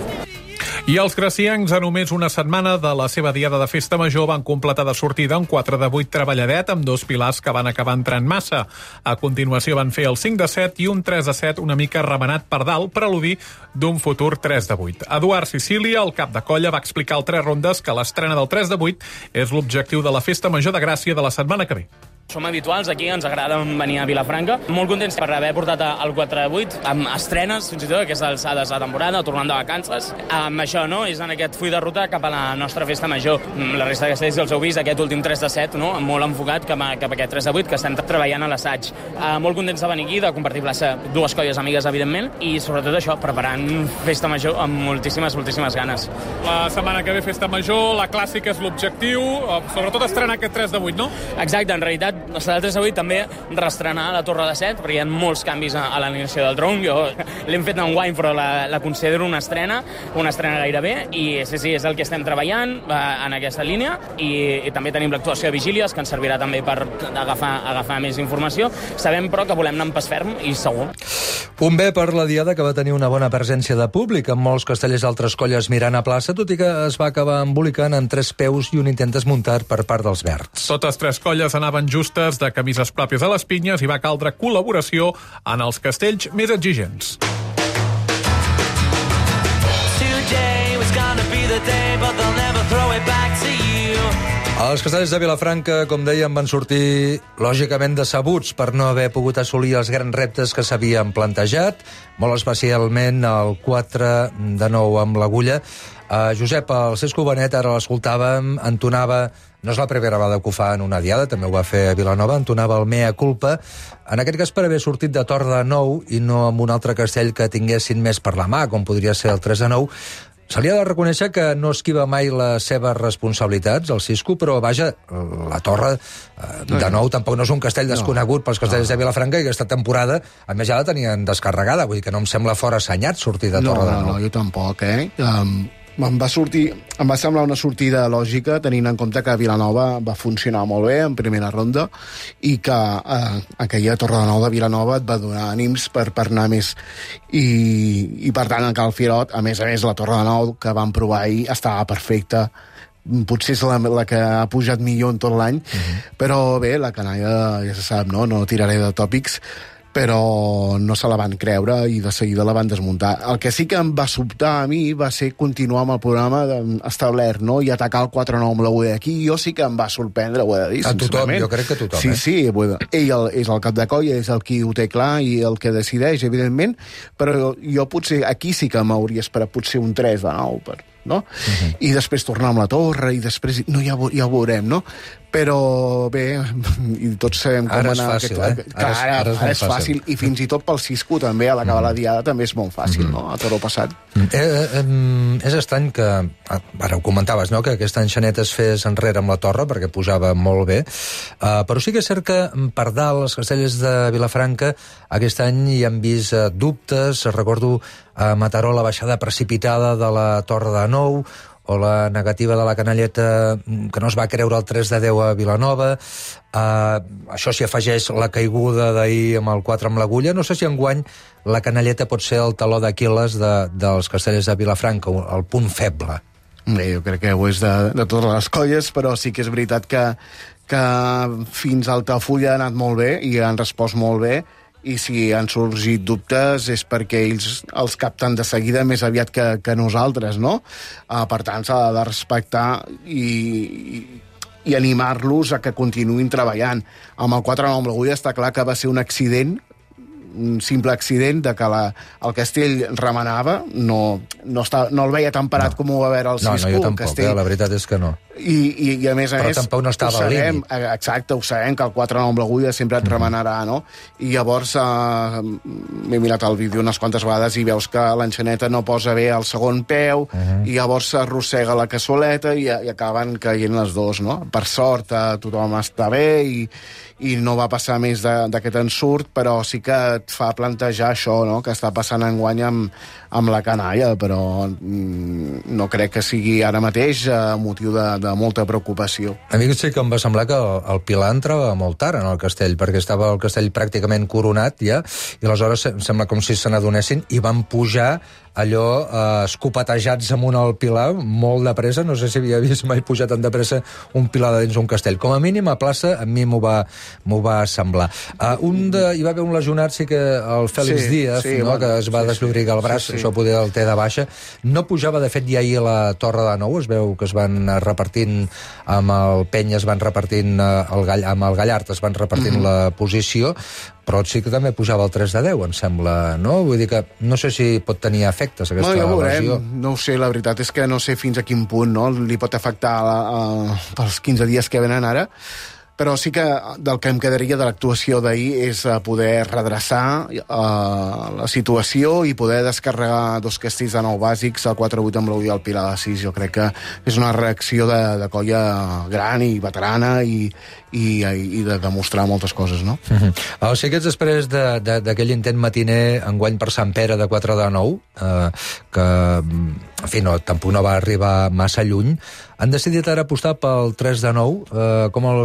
S7: I els graciencs, a només una setmana de la seva diada de Festa Major, van completar de sortida un quatre de vuit treballadet amb dos pilars que van acabar entrant massa. A continuació van fer el cinc de set i un tres de set una mica remenat per dalt per al·ludir d'un futur tres de vuit. Eduard Sicília, el cap de colla, va explicar al Tres Rondes que l'estrena del tres de vuit és l'objectiu de la Festa Major de Gràcia de la setmana que ve.
S14: Som habituals aquí, ens agrada venir a Vilafranca. Molt contents per haver portat el quatre de vuit, amb estrenes, fins i tot, aquestes alçades de temporada, tornant de vacances. Amb això, no?, és en aquest full de ruta cap a la nostra Festa Major. La resta de castells els heu vist, aquest últim tres de set, no?, molt enfocat cap a, cap a aquest tres de vuit, que estem treballant a l'assaig. Uh, molt contents de venir aquí, de compartir plaça, dues colles amigues, evidentment, i sobretot això, preparant Festa Major amb moltíssimes, moltíssimes ganes.
S7: La setmana que ve Festa Major, la clàssica és l'objectiu, sobretot estrenar aquest tres de vuit, no?
S14: Exacte, en realitat, la setmana tres de vuit també restrenar la Torre de set, perquè hi ha molts canvis a, a l'animació del tronc. Jo l'hem fet en guany, però la, la considero una estrena, una estrena gairebé, i sí, sí, és el que estem treballant eh, en aquesta línia, i, i també tenim l'actuació de vigílies, que ens servirà també per agafar, agafar més informació. Sabem, però, que volem anar en pas ferm i segur.
S6: Un bé per la diada que va tenir una bona presència de públic, amb molts castellers d'altres colles mirant a plaça, tot i que es va acabar embolicant en tres peus i un intent desmuntat per part dels verds.
S7: Totes tres colles anaven justes de camises pròpies a les pinyes i va caldre col·laboració en els castells més exigents.
S6: Els castellers de Vilafranca, com dèiem, van sortir lògicament decebuts per no haver pogut assolir els grans reptes que s'havien plantejat, molt especialment el quatre de nou amb l'agulla. Uh, Josep, el Cesco Benet, ara l'escoltàvem, entonava, no és la primera vegada que ho fa en una diada, també ho va fer a Vilanova, entonava el mea culpa, en aquest cas per haver sortit de Tor de Nou i no amb un altre castell que tinguessin més per la mà, com podria ser el tres de nou. Se li ha de reconèixer que no esquiva mai les seves responsabilitats, el Cisco, però, vaja, la Torre, de nou, tampoc no és un castell desconegut pels castells de Vilafranca, i aquesta temporada, a més, ja la tenien descarregada, vull dir que no em sembla fora assenyat sortir de Torre de Nou.
S8: No, no, jo tampoc, eh? Um... Em va, sortir, em va semblar una sortida lògica, tenint en compte que Vilanova va funcionar molt bé en primera ronda i que eh, aquella Torre de Nou de Vilanova et va donar ànims per, per anar més. I, i per tant, en Cal Firot, a més a més, la Torre de Nou que vam provar ahir estava perfecta. Potser és la, la que ha pujat millor en tot l'any, uh-huh. Però bé, la canalla ja se sap, no? No tiraré de tòpics, però no se la van creure i de seguida la van desmuntar. El que sí que em va sobtar a mi va ser continuar amb el programa establert, no? I atacar el quatre nou amb l'agulla d'aquí. Jo sí que em va sorprendre, ho he de dir,
S6: a tothom, jo crec que a tothom,
S8: sí,
S6: eh?
S8: Sí, ell el, és el cap de colla, és el qui ho té clar i el que decideix, evidentment, però jo potser aquí sí que m'hauria esperat potser un tres de nou, per, no? Uh-huh. I després tornar amb la torre, i després... No, ja, ja ho veurem, no? Però bé, i tots sabem com
S6: ara
S8: anar...
S6: És fàcil,
S8: aquest...
S6: eh?
S8: Ara,
S6: ara, és,
S8: ara,
S6: ara
S8: és fàcil. fàcil, i fins i tot pel Cisco també, a l'acabar mm. la diada, també és molt fàcil, mm. no? A Toro passat.
S6: Mm. Eh, eh, és estrany que... Ara ho comentaves, no?, que aquesta enxaneta es fes enrere amb la torre, perquè posava molt bé, uh, però sí que és cert que per dalt, els castellers de Vilafranca, aquest any hi han vist uh, dubtes. Recordo a Mataró la baixada precipitada de la Torre de Nou, o la negativa de la canalleta que no es va creure el tres de deu a Vilanova. Uh, això s'hi afegeix la caiguda d'ahir amb el quatre amb l'agulla. No sé si enguany la canalleta pot ser el taló d'Aquil·les de, dels castellers de Vilafranca, el punt feble.
S8: Bé, jo crec que ho és de, de totes les colles, però sí que és veritat que, que fins a Altafulla ha anat molt bé i han respost molt bé, i si han sorgit dubtes és perquè ells els capten de seguida més aviat que, que nosaltres, no? Uh, per tant, s'ha de respectar i, i, i animar-los a que continuïn treballant. Amb el quatre nou amb l'agulla està clar que va ser un accident, un simple accident de que la, el castell remenava, no, no, està, no el veia tan parat no. com ho va veure el Cisco.
S6: No, no, jo tampoc,
S8: castell...
S6: eh, la veritat és que no.
S8: I, i, i a més a
S6: Però
S8: més...
S6: tampoc no estava al límit.
S8: Exacte, ho sabem, que el quatre nou amb l'agulla sempre et mm-hmm. remenarà, no? I llavors eh, m'he mirat el vídeo unes quantes vegades i veus que l'enxaneta no posa bé el segon peu, mm-hmm. i llavors s'arrossega la cassoleta i, i acaben caient les dos, no? Per sort, eh, tothom està bé i, i no va passar més d'aquest ensurt, però sí que et fa plantejar això, no?, que està passant enguany amb, amb la canalla, però mm, no crec que sigui ara mateix eh, motiu de, de molta preocupació.
S6: A mi sí que em va semblar que el, el Pilar entrava molt tard en el castell, perquè estava el castell pràcticament coronat ja, i aleshores em sembla com si se n'adonessin i van pujar allò eh, escopetejats amunt al Pilar molt de pressa, no sé si havia vist mai pujar tan de pressa un Pilar de dins un castell. Com a mínim a plaça a mi m'ho va, m'ho va semblar. Uh, un de, hi va haver un lesionat, sí que el Fèlix sí, Díaz, sí, no, bueno, que es va sí, desllorigar el braç, sí, sí. Això poder el té de baixa. No pujava, de fet, ja ahir a la Torre de Nou, es veu que es van repartint amb el Penya, es van repartint el Gall, amb el Gallart, es van repartint mm-hmm. la posició, però sí que també pujava el tres de deu, em sembla, no? Vull dir que no sé si pot tenir efectes aquesta
S8: no, ja
S6: lesió.
S8: No ho sé, la veritat és que no sé fins a quin punt, no?, li pot afectar a, a, pels quinze dies que venen ara, però sí que del que em quedaria de l'actuació d'ahir és poder redreçar uh, la situació i poder descarregar dos castells de nou bàsics, el quatre vuit amb l'u i el Pilar de sis. Jo crec que és una reacció de, de colla gran i veterana i, i, i de demostrar moltes coses, no?
S6: Uh-huh. O sigui que després d'aquell intent matiner enguany per Sant Pere de quatre de nou, eh, que en fi, no, tampoc no va arribar massa lluny, han decidit ara apostar pel tres de nou, eh, com el,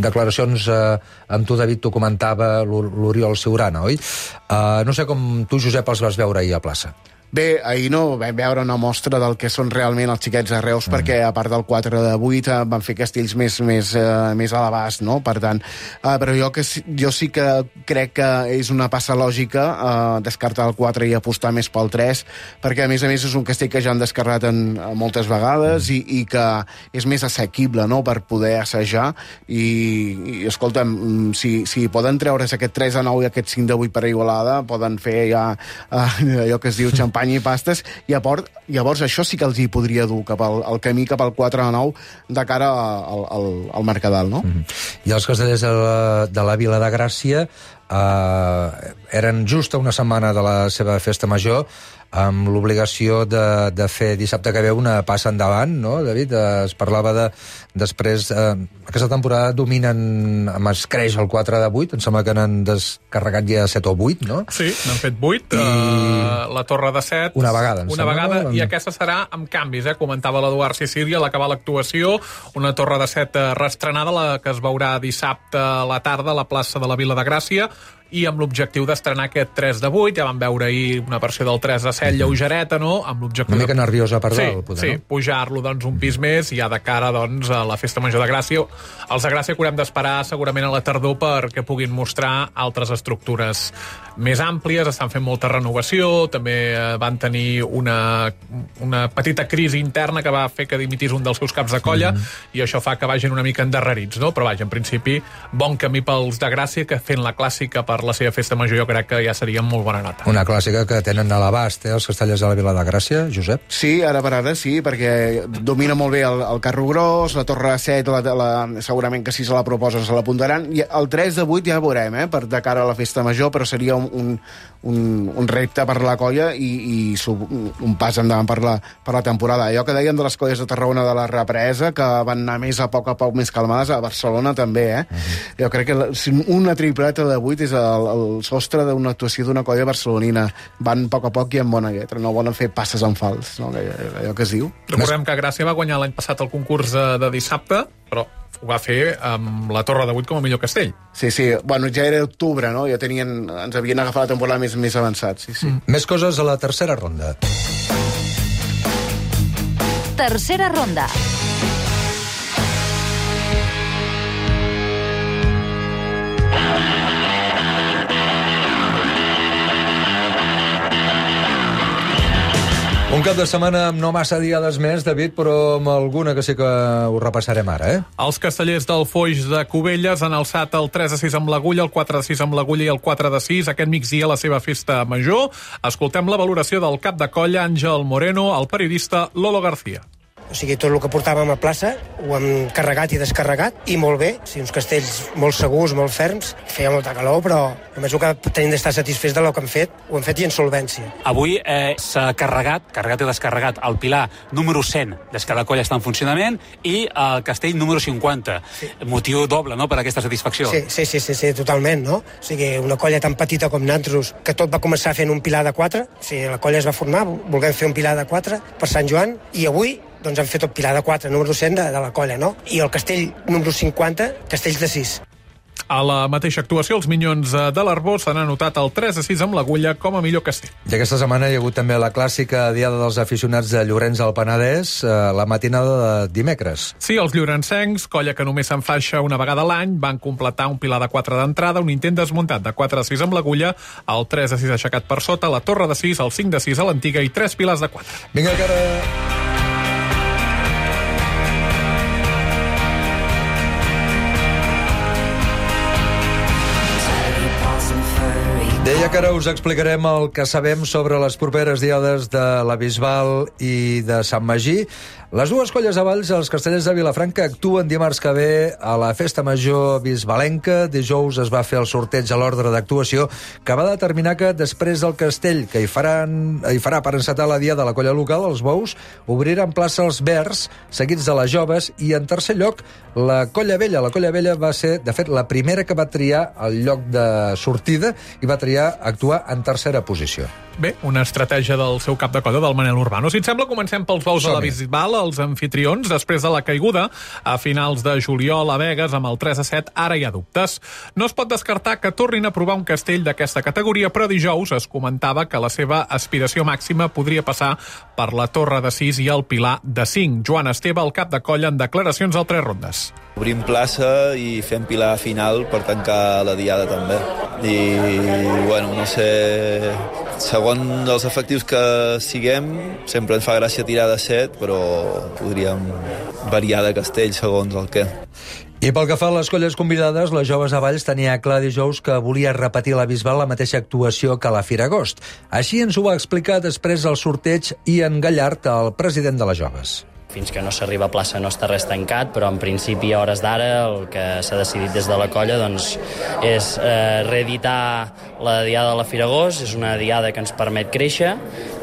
S6: declaracions eh, amb tu, David, t'ho comentava l'Oriol Siurana, oi? Eh, no sé com tu, Josep, els vas veure ahir a plaça.
S8: Bé, ahir no vam veure una mostra del que són realment els xiquets de Reus, mm. perquè a part del quatre de vuit eh, van fer castells més, més, eh, més a l'abast, no? Per tant, eh, però jo, que, jo sí que crec que és una passa lògica eh, descartar el quatre i apostar més pel tres, perquè a més a més és un castell que ja han descarregat en, en moltes vegades i, i que és més assequible, no?, per poder assajar i, i escolta'm, si, si poden treure's aquest tres de nou i aquest cinc de vuit per Igualada, poden fer ja eh, allò que es diu xampany i pastes, i llavors, llavors això sí que els hi podria dur cap al, al camí cap al quatre de nou de cara al, al, al Mercadal, no? Mm-hmm.
S6: I els castellers de la, de la Vila de Gràcia eh, eren just a una setmana de la seva festa major, amb l'obligació de, de fer dissabte que ve una passa endavant, no, David? Es parlava de, després, eh, aquesta temporada dominen amb escreix el quatre de vuit, em sembla que n'han descarregat ja set o vuit, no?
S7: Sí, n'han fet vuit, I... uh, la torre de set...
S6: Una vegada, em
S7: Una
S6: sembla,
S7: vegada,
S6: no?
S7: I aquesta serà amb canvis, eh? Comentava l'Eduard Sicília a l'acabar l'actuació, una torre de set reestrenada, la que es veurà dissabte a la tarda a la plaça de la Vila de Gràcia, i amb l'objectiu d'estrenar aquest tres de vuit, ja vam veure ahir una versió del tres de set lleugereta, no? Amb l'objectiu
S6: una mica
S7: de...
S6: nerviosa per
S7: sí,
S6: dalt, poder,
S7: sí,
S6: no?
S7: pujar-lo doncs, un pis més, i ja de cara doncs, a la Festa Major de Gràcia. Els de Gràcia que haurem d'esperar segurament a la tardor perquè puguin mostrar altres estructures més àmplies, estan fent molta renovació, també van tenir una, una petita crisi interna que va fer que dimitís un dels seus caps de colla, mm-hmm. i això fa que vagin una mica endarrerits, no? Però vaja, en principi, bon camí pels de Gràcia, que fent la clàssica per la seva festa major jo crec que ja seria molt bona nota.
S6: Una clàssica que tenen a l'abast, eh, els castellers de la Vila de Gràcia, Josep?
S8: Sí, ara per ara sí, perquè domina molt bé el, el carro gros, la torre de set, la, la, segurament que si se la proposen se l'apuntaran, i el tres de vuit ja veurem, eh, per de cara a la festa major, però seria un, un, un, un repte per la colla i, i sub, un pas endavant per la, per la temporada. Allò que deien de les colles de Tarragona de la represa, que van anar més a poc a poc més calmades, a Barcelona també, eh? Uh-huh. Jo crec que la, una tripleta de vuit és el, el sostre d'una actuació d'una colla barcelonina. Van a poc a poc i amb bona lletra, no volen fer passes en fals, no? Allò que es diu.
S7: Recordem que Gràcia va guanyar l'any passat el concurs de, de dissabte, però ho va fer amb la Torre de vuit com a millor castell.
S8: Sí, sí, bueno, ja era octubre, no? Ja tenien, ens havien agafat la temporada més, més avançat, sí, sí.
S6: Mm. Més coses a la tercera ronda.
S2: Tercera ronda.
S6: Un cap de setmana amb no massa diades més, David, però amb alguna que sí que ho repassarem ara, eh?
S7: Els castellers del Foix de Cubelles han alçat el tres a sis amb l'agulla, el quatre a sis amb l'agulla i el quatre a sis aquest migdia a la seva festa major. Escoltem la valoració del cap de colla Àngel Moreno, el periodista Lolo García.
S15: O sigui, tot el que portàvem a plaça ho hem carregat i descarregat, i molt bé, o sigui, uns castells molt segurs, molt ferms, feia molta calor, però només el que tenim d'estar satisfets del que hem fet, ho hem fet i en solvència.
S16: Avui eh, s'ha carregat, carregat i descarregat, el pilar número cent, des que la colla està en funcionament, i el castell número cinquanta. Sí. Motiu doble, no?, per aquesta satisfacció.
S15: Sí, sí, sí, sí, sí, totalment, no? O sigui, una colla tan petita com nosaltres, que tot va començar fent un pilar de quatre, o sigui, la colla es va formar, volguem fer un pilar de quatre per Sant Joan, i avui doncs han fet el pilar de quatre, número cent de, de la colla, no? I el castell número cinquanta, castells de sis.
S7: A la mateixa actuació, els Minyons de l'Arbós s'han anotat el tres a sis amb l'Agulla com a millor castell.
S6: I aquesta setmana hi ha hagut també la clàssica Diada dels Aficionats de Llorenç al Penedès, eh, la matinada de dimecres.
S7: Sí, els llorencencs, colla que només s'enfaixa una vegada a l'any, van completar un pilar de quatre d'entrada, un intent desmuntat de quatre a sis amb l'Agulla, el tres a sis aixecat per sota, la torre de sis, el cinc de sis a l'Antiga i tres pilars de quatre.
S6: Vinga, que ara... Deia que ara us explicarem el que sabem sobre les properes diades de la Bisbal i de Sant Magí. Les dues colles a Valls, els Castellers de Vilafranca, actuen dimarts que ve a la Festa Major bisbalenca. Dijous es va fer el sorteig a l'ordre d'actuació, que va determinar que després del castell que hi, faran, hi farà per encetar la dia de la colla local, els bous obriran plaça els verds, seguits de les joves, i en tercer lloc la colla vella. La colla vella va ser, de fet, la primera que va triar el lloc de sortida i va triar actuar en tercera posició.
S7: Bé, una estratègia del seu cap de colla, del Manel Urbano. Si et sembla, comencem pels bous de la Bisbal, els anfitrions. Després de la caiguda, a finals de juliol a Begues, amb el tres a set, ara hi ha dubtes. No es pot descartar que tornin a provar un castell d'aquesta categoria, però dijous es comentava que la seva aspiració màxima podria passar per la torre de sis i el pilar de cinc. Joan Esteve, el cap de colla, en declaracions al Tres Rondes.
S17: Obrim plaça i fem pilar final per tancar la diada també. I, bueno, no sé... Segons els efectius que siguem, sempre ens fa gràcia tirar de set, però podríem variar de castell segons el què.
S6: I pel que fa a les colles convidades, les joves a Valls tenia clar dijous que volia repetir a la Bisbal la mateixa actuació que a la Fira Agost. Així ens ho va explicar després del sorteig Ian Gallard, el president de les joves.
S18: Fins que no s'arriba a plaça no està res tancat, però en principi a hores d'ara el que s'ha decidit des de la colla doncs, és eh, reeditar la diada de la Fira Agost. És una diada que ens permet créixer,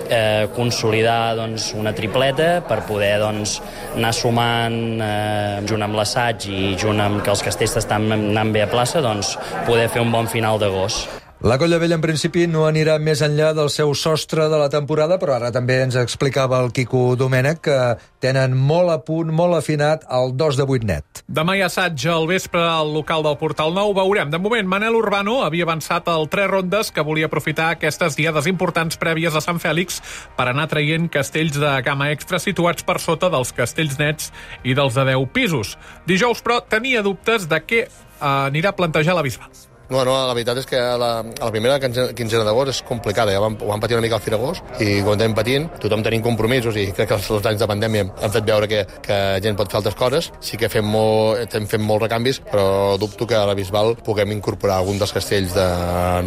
S18: eh, consolidar doncs, una tripleta per poder doncs, anar sumant eh, junt amb l'assaig i junt amb que els castells estan anant bé a plaça, doncs, poder fer un bon final d'agost.
S6: La colla vella, en principi, no anirà més enllà del seu sostre de la temporada, però ara també ens explicava el Quico Domènech que tenen molt a punt, molt afinat, el dos de vuit net.
S7: Demà hi ha assaig al vespre al local del Portal Nou, veurem. De moment, Manel Urbano havia avançat al Tres Rondes, que volia aprofitar aquestes diades importants prèvies a Sant Fèlix per anar traient castells de gamma extra situats per sota dels castells nets i dels de deu pisos. Dijous, però, tenia dubtes de què eh, anirà a plantejar la Bisbal.
S19: No, no, la veritat és que la, la primera quinzena d'agost és complicada. Ja vam, ho vam patir una mica al Fira Agost i quan anem patint, tothom tenim compromisos i crec que els, els anys de pandèmia han fet veure que, que gent pot fer altres coses. Sí que fem, molt, estem fent molts recanvis, però dubto que a la Bisbal puguem incorporar algun dels castells de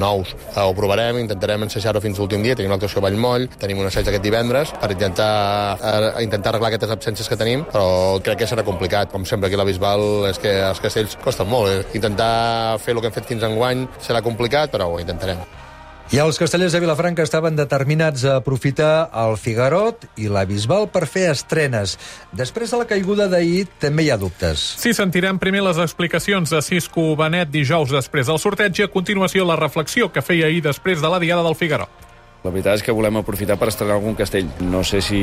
S19: nous. Ho provarem, intentarem ensejar-ho fins l'últim dia. Tenim l'actuació a Vallmoll, tenim un assaig aquest divendres per intentar, intentar arreglar aquestes absències que tenim, però crec que serà complicat. Com sempre, aquí a la Bisbal és que els castells costen molt. Eh? Intentar fer el que hem fet fins enguany serà complicat, però ho intentarem.
S6: I els castellers de Vilafranca estaven determinats a aprofitar el Figarot i la Bisbal per fer estrenes. Després de la caiguda d'ahir també hi ha dubtes.
S7: Sí, sentirem primer les explicacions de Cisco Benet dijous després del sorteig i a continuació la reflexió que feia ahir després de la diada del Figarot.
S12: La veritat és que volem aprofitar per estrenar algun castell. No sé si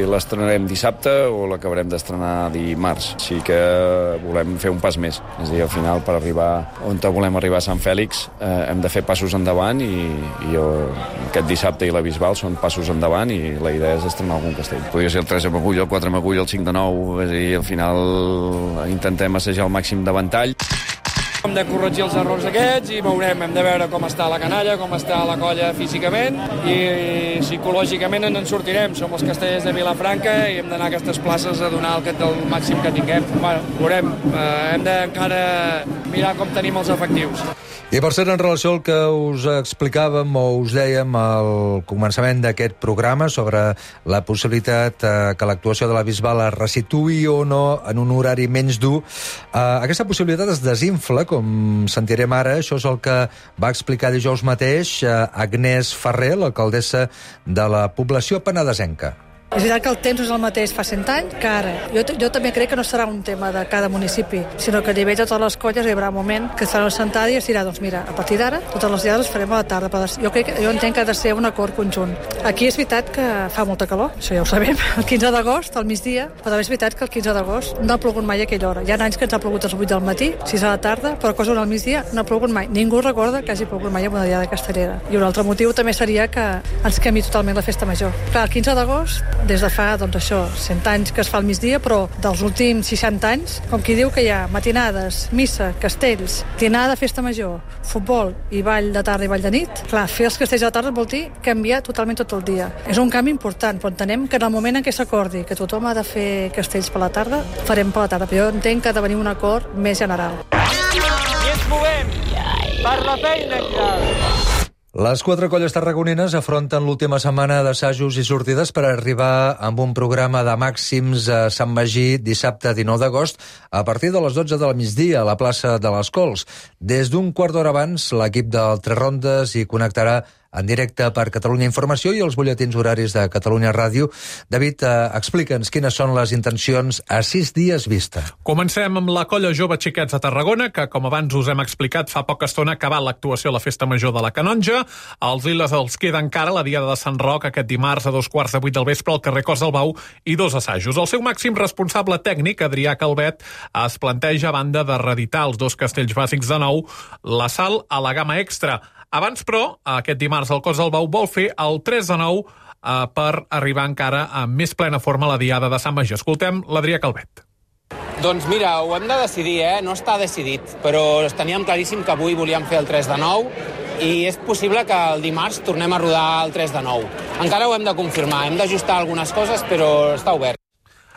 S12: l'estrenarem dissabte o l'acabarem d'estrenar dimarts. Sí que volem fer un pas més. És a dir, al final, per arribar on volem arribar a Sant Fèlix, eh, hem de fer passos endavant i, i jo, aquest dissabte i la Bisbal són passos endavant i la idea és estrenar algun castell. Podria ser el tres amb agulla, el quatre amb agulla, el cinc de nou, és a dir, al final intentem assajar el màxim de ventall. Hem de corregir els errors aquests i veurem, hem de veure com està la canalla, com està la colla físicament i psicològicament ens en sortirem. Som els castellers de Vilafranca i hem d'anar a aquestes places a donar el, el màxim que tinguem. Bueno, veurem, eh, hem d'encara mirar com tenim els efectius.
S6: I per cert, en relació al que us explicàvem o us dèiem al començament d'aquest programa sobre la possibilitat eh, que l'actuació de la Bisbal es resituï o no en un horari menys dur, eh, aquesta possibilitat es desinfla, com sentirem ara. Això és el que va explicar dijous mateix eh, Agnès Ferrer, l'alcaldessa de la població penedesenca.
S20: És veritat que el temps és el mateix fa cent anys que ara. Jo, jo també crec que no serà un tema de cada municipi, sinó que a nivell de totes les colles hi haurà un moment que es farà una sentada i es dirà, doncs mira, a partir d'ara totes les diades les farem a la tarda. Jo, crec, jo entenc que ha de ser un acord conjunt. Aquí és veritat que fa molta calor, això ja ho sabem, el quinze d'agost, al migdia, però també és veritat que el quinze d'agost no ha plogut mai a aquella hora. Hi ha anys que ens ha plogut a les vuit del matí, sis a la tarda, però cosa al migdia no ha plogut mai. Ningú recorda que hagi plogut mai en una diada castellera. I un altre motiu també seria que ens canvi totalment la festa major. Clar, el quinze d'agost, des de fa, doncs això, cent anys que es fa al migdia, però dels últims seixanta anys, com qui diu que hi ha matinades, missa, castells, dinada, festa major, futbol i ball de tarda i ball de nit, clar, fer els castells a la tarda vol dir canviar totalment tot el dia. És un canvi important, però entenem que en el moment en què s'acordi que tothom ha de fer castells per la tarda, farem per la tarda, però jo entenc que ha de venir un acord més general.
S1: I ens movem per la feina, Claudi.
S6: Les quatre colles tarragonines afronten l'última setmana d'assajos i sortides per arribar amb un programa de màxims a Sant Magí dissabte dinou d'agost a partir de les dotze del migdia a la plaça de les Cols. Des d'un quart d'hora abans, l'equip del Tres Rondes hi connectarà en directe per Catalunya Informació i els butlletins horaris de Catalunya Ràdio. David, eh, explica'ns quines són les intencions a sis dies vista.
S7: Comencem amb la colla jove Xiquets de Tarragona, que, com abans us hem explicat, fa poca estona ha acabat l'actuació a la Festa Major de la Canonja. Als Liles els queda encara la Diada de Sant Roc aquest dimarts a dos quarts de vuit del vespre al carrer Cos del Bau i dos assajos. El seu màxim responsable tècnic, Adrià Calvet, es planteja, a banda de reeditar els dos castells bàsics de nou, la sal a la gamma extra. Abans, però, aquest dimarts al Cos del Bau vol fer el tres de nou eh, per arribar encara amb més plena forma a la Diada de Sant Magí. Escoltem l'Adrià Calvet.
S21: Doncs mira, ho hem de decidir, eh? No està decidit, però teníem claríssim que avui volíem fer el tres de nou i és possible que el dimarts tornem a rodar el tres de nou. Encara ho hem de confirmar, hem d'ajustar algunes coses, però està obert.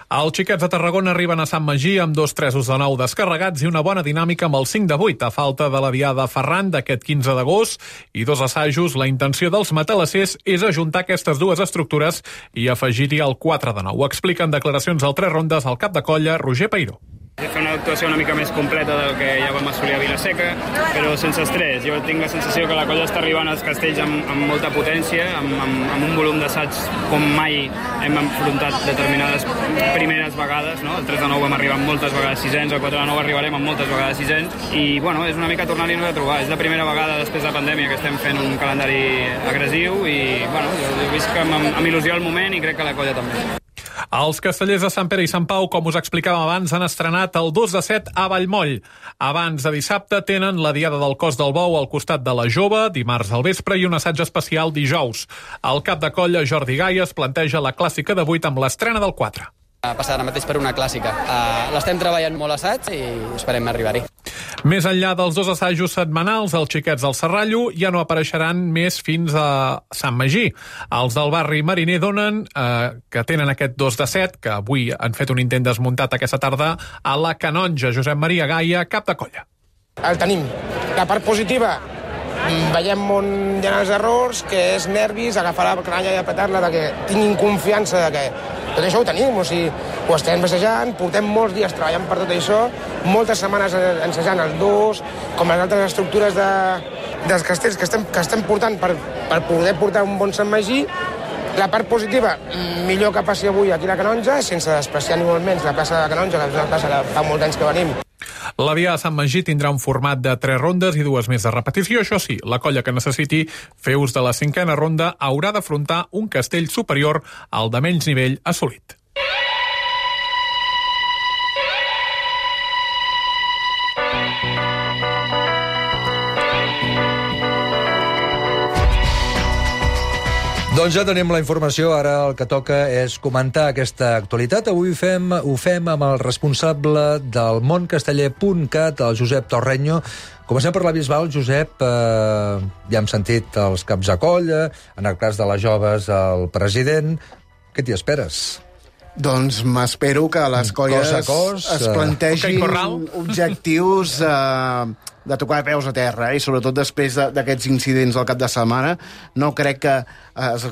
S7: Els Xiquets de Tarragona arriben a Sant Magí amb dos tresos de nou descarregats i una bona dinàmica amb el cinc de vuit, a falta de la Diada Ferran d'aquest quinze d'agost i dos assajos. La intenció dels matalassers és ajuntar aquestes dues estructures i afegir-hi el quatre de nou. Ho explica en declaracions al Tres Rondes el cap de colla, Roger Peiró.
S22: Fer una actuació una mica més completa del que ja vam assolir a Vilaseca, però sense estrès. Jo tinc la sensació que la colla està arribant als castells amb, amb molta potència, amb, amb, amb un volum d'assaig com mai hem enfrontat determinades primeres vegades, no? El tres de nou vam arribar amb moltes vegades sisens, el quatre de nou arribarem amb moltes vegades sisens, i bueno, és una mica tornar-hi-nos a trobar. És la primera vegada després de la pandèmia que estem fent un calendari agressiu i bueno, jo he vist que amb, amb il·lusió al moment i crec que la colla també.
S7: Els castellers de Sant Pere i Sant Pau, com us explicàvem abans, han estrenat el dos de set a Vallmoll. Abans de dissabte tenen la Diada del Cos del Bou al costat de la Jove, dimarts al vespre, i un assaig especial dijous. El cap de colla, Jordi Gaies, planteja la clàssica de vuit amb l'estrena del quatre.
S22: Passar ara mateix per una clàssica. Uh, L'estem treballant molt assaig i esperem arribar-hi.
S7: Més enllà dels dos assajos setmanals, els Xiquets del Serrallo ja no apareixeran més fins a Sant Magí. Els del barri Mariner donen eh, que tenen aquest dos de set, que avui han fet un intent desmuntat aquesta tarda, a la Canonja. Josep Maria Gaia, cap de colla.
S23: El tenim. La part positiva, veiem on hi ha els errors, que és nervis, agafar la canalla i apretar-la, de que tinguin confiança de que tot això ho tenim, o sigui, ho estem passejant, portem molts dies treballant per tot això, moltes setmanes ensejant el dos, com les altres estructures de, dels castells que estem, que estem portant per, per poder portar un bon Sant Magí. La part positiva, millor que passi avui aquí a la Canonja, sense despreciar ni molt menys la plaça de la Canonja, que és una plaça que fa molts anys que venim.
S7: La Diada de Sant Magí tindrà un format de tres rondes i dues més de repetició. Això sí, la colla que necessiti fer ús de la cinquena ronda haurà d'afrontar un castell superior al de menys nivell assolit.
S6: Doncs ja tenim la informació, ara el que toca és comentar aquesta actualitat. Avui fem, ho fem amb el responsable del moncasteller punt cat, el Josep Torreño. Comencem per la Bisbal. Josep, eh, ja hem sentit els caps de colla, en el cas de les joves el president. Què t'hi esperes?
S8: Doncs m'espero que les colles
S6: cos a cos,
S8: es plantegin objectius eh, de tocar peus a terra, eh? I sobretot després d'aquests incidents del cap de setmana. No crec que es,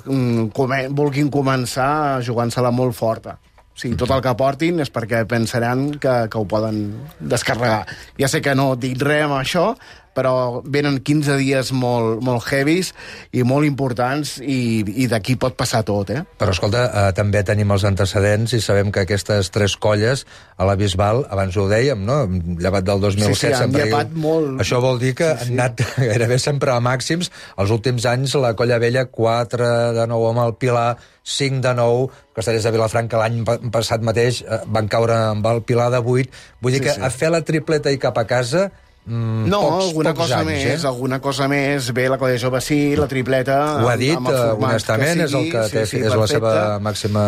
S8: come, vulguin començar jugant-se-la molt forta. O sigui, tot el que portin és perquè pensaran que, que ho poden descarregar. Ja sé que no dic res amb això, però venen quinze dies molt, molt heavies i molt importants i, i d'aquí pot passar tot, eh?
S6: Però, escolta, eh, també tenim els antecedents i sabem que aquestes tres colles a la Bisbal, abans ho dèiem, no? Llevat del dos mil set,
S8: sí, sí, han llevat molt...
S6: Això vol dir que sí, sí. han anat gairebé sempre a màxims. Els últims anys, la Colla Vella, quatre de nou amb el Pilar, cinc de nou, Castellers de Vilafranca l'any passat mateix van caure amb el Pilar de vuit. Vull dir sí, que sí. a fer la tripleta i cap a casa... Mm,
S8: no,
S6: pocs,
S8: alguna
S6: pocs
S8: cosa
S6: anys,
S8: més,
S6: eh?
S8: alguna cosa més. Bé, la Colla Jove sí, la tripleta...
S6: Ho ha dit, honestament, és el que té, sí, sí, és la seva màxima...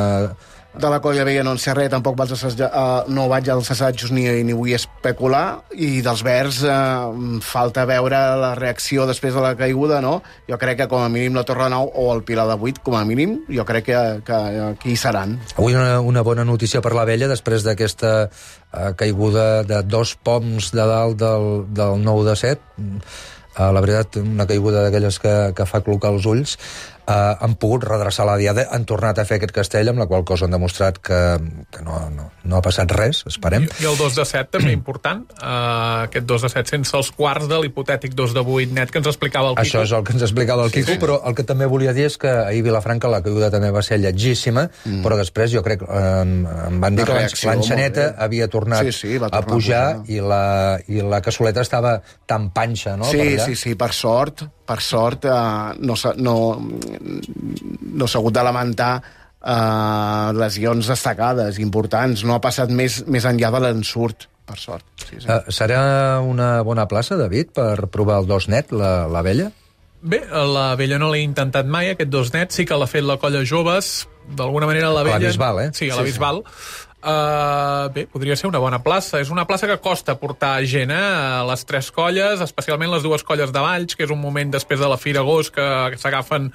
S8: De la Colla Vella no en sé res, tampoc vaig assajar, uh, no vaig als assajos ni, ni vull especular, i dels Verds uh, falta veure la reacció després de la caiguda, no? Jo crec que com a mínim la Torre Nou o el Pilar de vuit, com a mínim, jo crec que, que, que hi seran.
S6: Avui una, una bona notícia per la Vella, després d'aquesta uh, caiguda de dos poms de dalt del, del nou de set. Uh, la veritat, una caiguda d'aquelles que, que fa clocar els ulls. Uh, han pogut redreçar la diada, han tornat a fer aquest castell, amb la qual cosa han demostrat que, que no, no, no ha passat res, esperem.
S7: I, i el dos de set també important, uh, aquest dos de set sense els quarts de l'hipotètic dos de vuit net que ens explicava el Quico.
S6: Això és el que ens explicava el Quico, sí, sí. Però el que també volia dir és que ahir a Vilafranca la caiguda també va ser lletgíssima, mm. però després jo crec, eh, em van dir que l'enxaneta havia tornat sí, sí, a pujar, a pujar. I, la, i la cassoleta estava tan panxa, no?
S8: Sí, sí, sí, per sort, per sort eh, no, no, no s'ha hagut de lamentar eh, lesions destacades, importants. No ha passat més, més enllà de l'ensurt, per sort. Sí, sí.
S6: Uh, serà una bona plaça, David, per provar el dos net, la, la Vella?
S7: Bé, la Vella no l'he intentat mai, aquest dos net. Sí que l'ha fet la Colla Joves, d'alguna manera la Vella...
S6: A la Bisbal, eh?
S7: Sí, a la sí, Bisbal. Sí. Uh, bé, podria ser una bona plaça. És una plaça que costa portar gent, eh? A les tres colles, especialment les dues colles de Valls, que és un moment després de la Fira Agost que, que s'agafen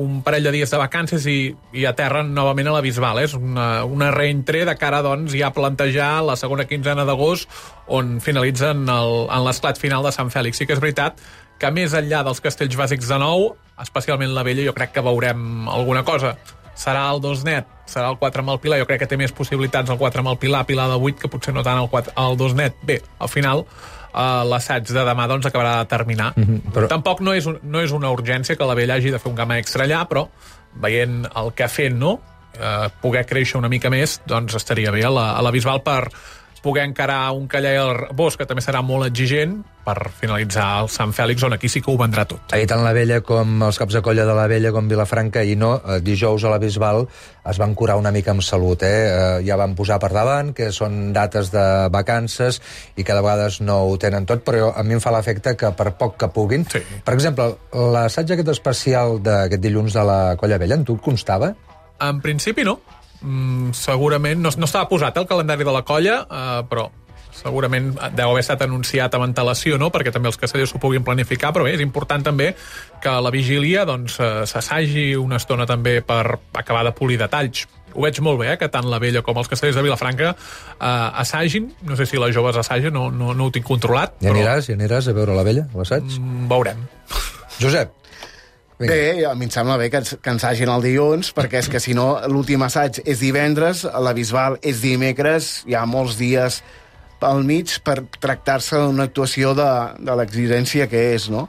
S7: un parell de dies de vacances i, i aterren novament a la Bisbal. És una, una reentré de cara, doncs, ja a plantejar la segona quinzena d'agost, on finalitzen el, en l'esclat final de Sant Fèlix. Sí que és veritat que més enllà dels castells bàsics de nou, especialment la Vella, jo crec que veurem alguna cosa. Serà el dos net, serà el quatre amb el Pilar. Jo crec que té més possibilitats el quatre amb el Pilar, Pilar de vuit, que potser no tant el, quatre, el dos net. Bé, al final, uh, l'assaig de demà doncs, acabarà de terminar. Mm-hmm, però... Tampoc no és, un, no és una urgència que la Vella hagi de fer un gamma extra allà, però veient el que ha fet, no? Uh, poder créixer una mica més, doncs estaria bé a la, a la Bisbal per poder encarar un Callar i el Bosch, que també serà molt exigent, per finalitzar el Sant Fèlix, on aquí sí que ho vendrà tot.
S6: Ahir tant la Vella com els caps de colla de la Vella com Vilafranca i no, dijous a la Bisbal es van curar una mica amb salut, eh? Ja van posar per davant que són dates de vacances i que de vegades no ho tenen tot, però a mi em fa l'efecte que per poc que puguin... Sí. Per exemple, l'assaig aquest especial d'aquest dilluns de la Colla Vella, en tu et constava?
S7: En principi no. Mm, segurament no, no estava posat el calendari de la colla, eh, però segurament deu haver estat anunciat amb antelació, no? Perquè també els castellers s'ho puguin planificar, però bé, és important també que a la vigília doncs, s'assagi una estona també per acabar de polir detalls. Ho veig molt bé, eh, que tant la Vella com els castellers de Vilafranca eh, assagin. No sé si les joves assagen, no, no, no ho tinc controlat.
S6: Ja aniràs, ja aniràs a veure la Vella, l'assaig?
S7: Mm, veurem.
S6: Josep.
S8: Vinga. Bé, a mi em sembla bé que, ens, que ensagin el dilluns, perquè és que si no l'últim assaig és divendres, la Bisbal és dimecres, hi ha molts dies al mig per tractar-se d'una actuació de, de l'exigència que és, no?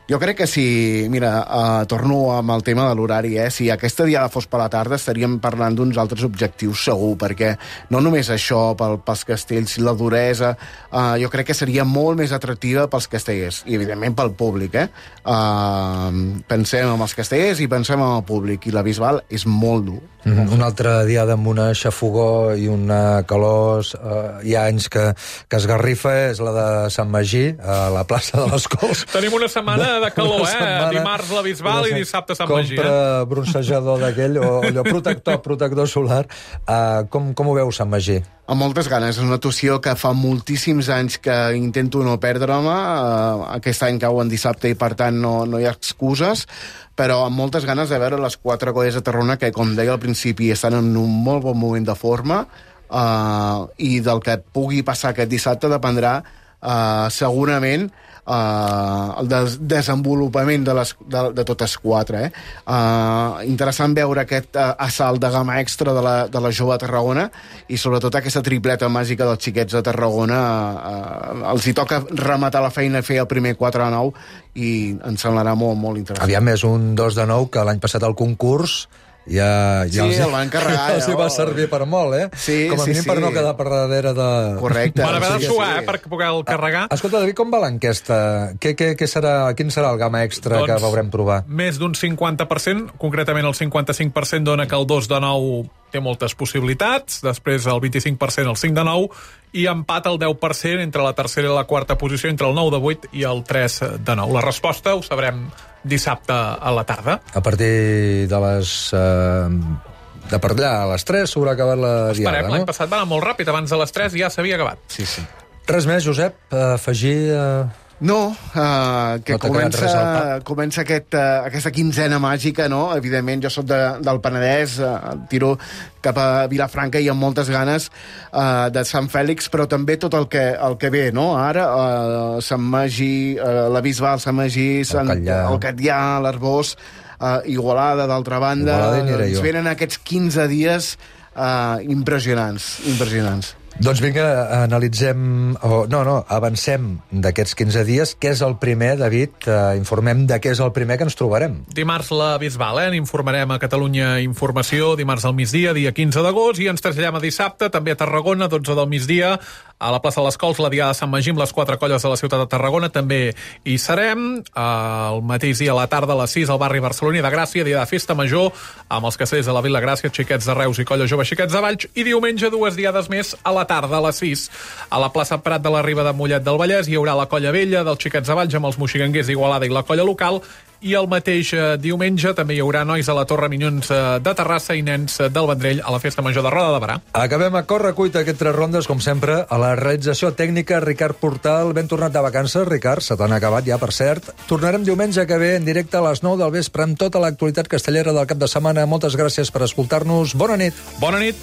S8: Jo crec que si... Mira, uh, torno amb el tema de l'horari, eh? Si aquesta diada fos per la tarda estaríem parlant d'uns altres objectius segur, perquè no només això pel, pels castells, la duresa, uh, jo crec que seria molt més atractiva pels castellers, i evidentment pel públic, eh? Uh, pensem en els castellers i pensem en el públic, i la Bisbal és molt dur.
S6: Mm-hmm. Una altra diada amb una xafogó i una calor, uh, hi ha anys que, que esgarrifa, és la de Sant Magí, a la plaça de les Cols.
S7: Tenim una setmana setmana de calor,
S6: Una
S7: eh?
S6: setmana.
S7: Dimarts la Bisbal i dissabte Sant Magí.
S6: Compra bronzejador d'aquell, o allò protector, protector solar. Uh, com, com ho veus, Sant Magí?
S8: Amb moltes ganes. És una actuació que fa moltíssims anys que intento no perdre-me. Uh, aquest any cau en dissabte i, per tant, no, no hi ha excuses, però amb moltes ganes de veure les quatre colles de Tarragona que, com deia al principi, estan en un molt bon moment de forma, uh, i del que pugui passar aquest dissabte dependrà uh, segurament Uh, el des desenvolupament de, les, de, de totes quatre. Eh? Uh, interessant veure aquest uh, assalt de gamma extra de la, de la jove de Tarragona i sobretot aquesta tripleta màgica dels xiquets de Tarragona. Uh, els hi toca rematar la feina i fer el primer quatre de nou i ens semblarà molt, molt interessant.
S6: Aviam, és un dos de nou que l'any passat al concurs ja, ja
S8: sí,
S6: els,
S8: el van carregar.
S6: Ja els hi va servir per molt, eh?
S8: Sí,
S6: com a
S8: sí,
S6: mínim
S8: sí.
S6: per no quedar per darrere de...
S8: Correcte.
S7: Van haver de
S8: sí,
S7: suar,
S8: sí.
S7: eh, per poder-el carregar.
S6: Ah, escolta, David, com va l'enquesta? Què, què, què serà, quin serà el gamma extra
S7: Doncs,
S6: que veurem provar?
S7: Més d'un cinquanta per cent, concretament el cinquanta-cinc per cent dona que el dos de nou té moltes possibilitats, després el vint-i-cinc per cent el cinc de nou, i empat el deu per cent entre la tercera i la quarta posició, entre el nou de vuit i el tres de nou. La resposta ho sabrem dissabte a la tarda.
S6: A partir de les... Eh, de per allà a les tres s'haurà acabat la diada,
S7: Esperem,
S6: no?
S7: l'any passat va anar molt ràpid, abans de les tres ja s'havia acabat.
S8: Sí, sí.
S6: Res més, Josep, afegir... Eh...
S8: No, uh, que
S6: No t'ha quedat res al
S8: comença,
S6: cap?
S8: comença aquest, uh, aquesta quinzena màgica, no? Evidentment, jo soc de, del Penedès, uh, tiro cap a Vilafranca i amb moltes ganes uh, de Sant Fèlix, però també tot el que, el que ve, no? Ara, uh, Sant Magí, uh, la Bisbal, Sant Magí, Sant, el Catllà, l'Arbós, uh, Igualada, d'altra banda.
S6: Igualada hi aniré
S8: Ens
S6: jo.
S8: venen aquests quinze dies uh, impressionants, impressionants.
S6: Doncs vinga, analitzem... Oh, no, no, avancem d'aquests quinze dies. Què és el primer, David? Uh, informem de què és el primer que ens trobarem.
S7: Dimarts la Bisbal, eh? N'informarem a Catalunya Informació, dimarts al migdia, dia quinze d'agost, i ens traslladem a dissabte, també a Tarragona, dotze del migdia, a la plaça de les Cols, la Diada de Sant Magí, amb les quatre colles de la ciutat de Tarragona, també hi serem. El mateix dia a la tarda, a les sis, al barri barceloní de Gràcia, dia de festa major, amb els castells de la Vila Gràcia, xiquets de Reus i colla jove xiquets de Valls, i diumenge dues diades més a la tarda, a les sis, a la plaça Prat de la Riba de Mollet del Vallès, hi haurà la colla vella dels xiquets de Valls amb els moxiganguers d'Igualada i la colla local, i el mateix eh, diumenge també hi haurà nois a la Torre Minyons eh, de Terrassa i nens eh, del Vendrell a la Festa Major de Roda de Barà.
S6: Acabem a corre-cuita aquest tres rondes, com sempre, a la realització tècnica Ricard Portal. Ben tornat de vacances, Ricard, se t'han acabat ja, per cert. Tornarem diumenge que ve en directe a les nou del vespre amb tota l'actualitat castellera del cap de setmana. Moltes gràcies per escoltar-nos. Bona nit.
S7: Bona nit.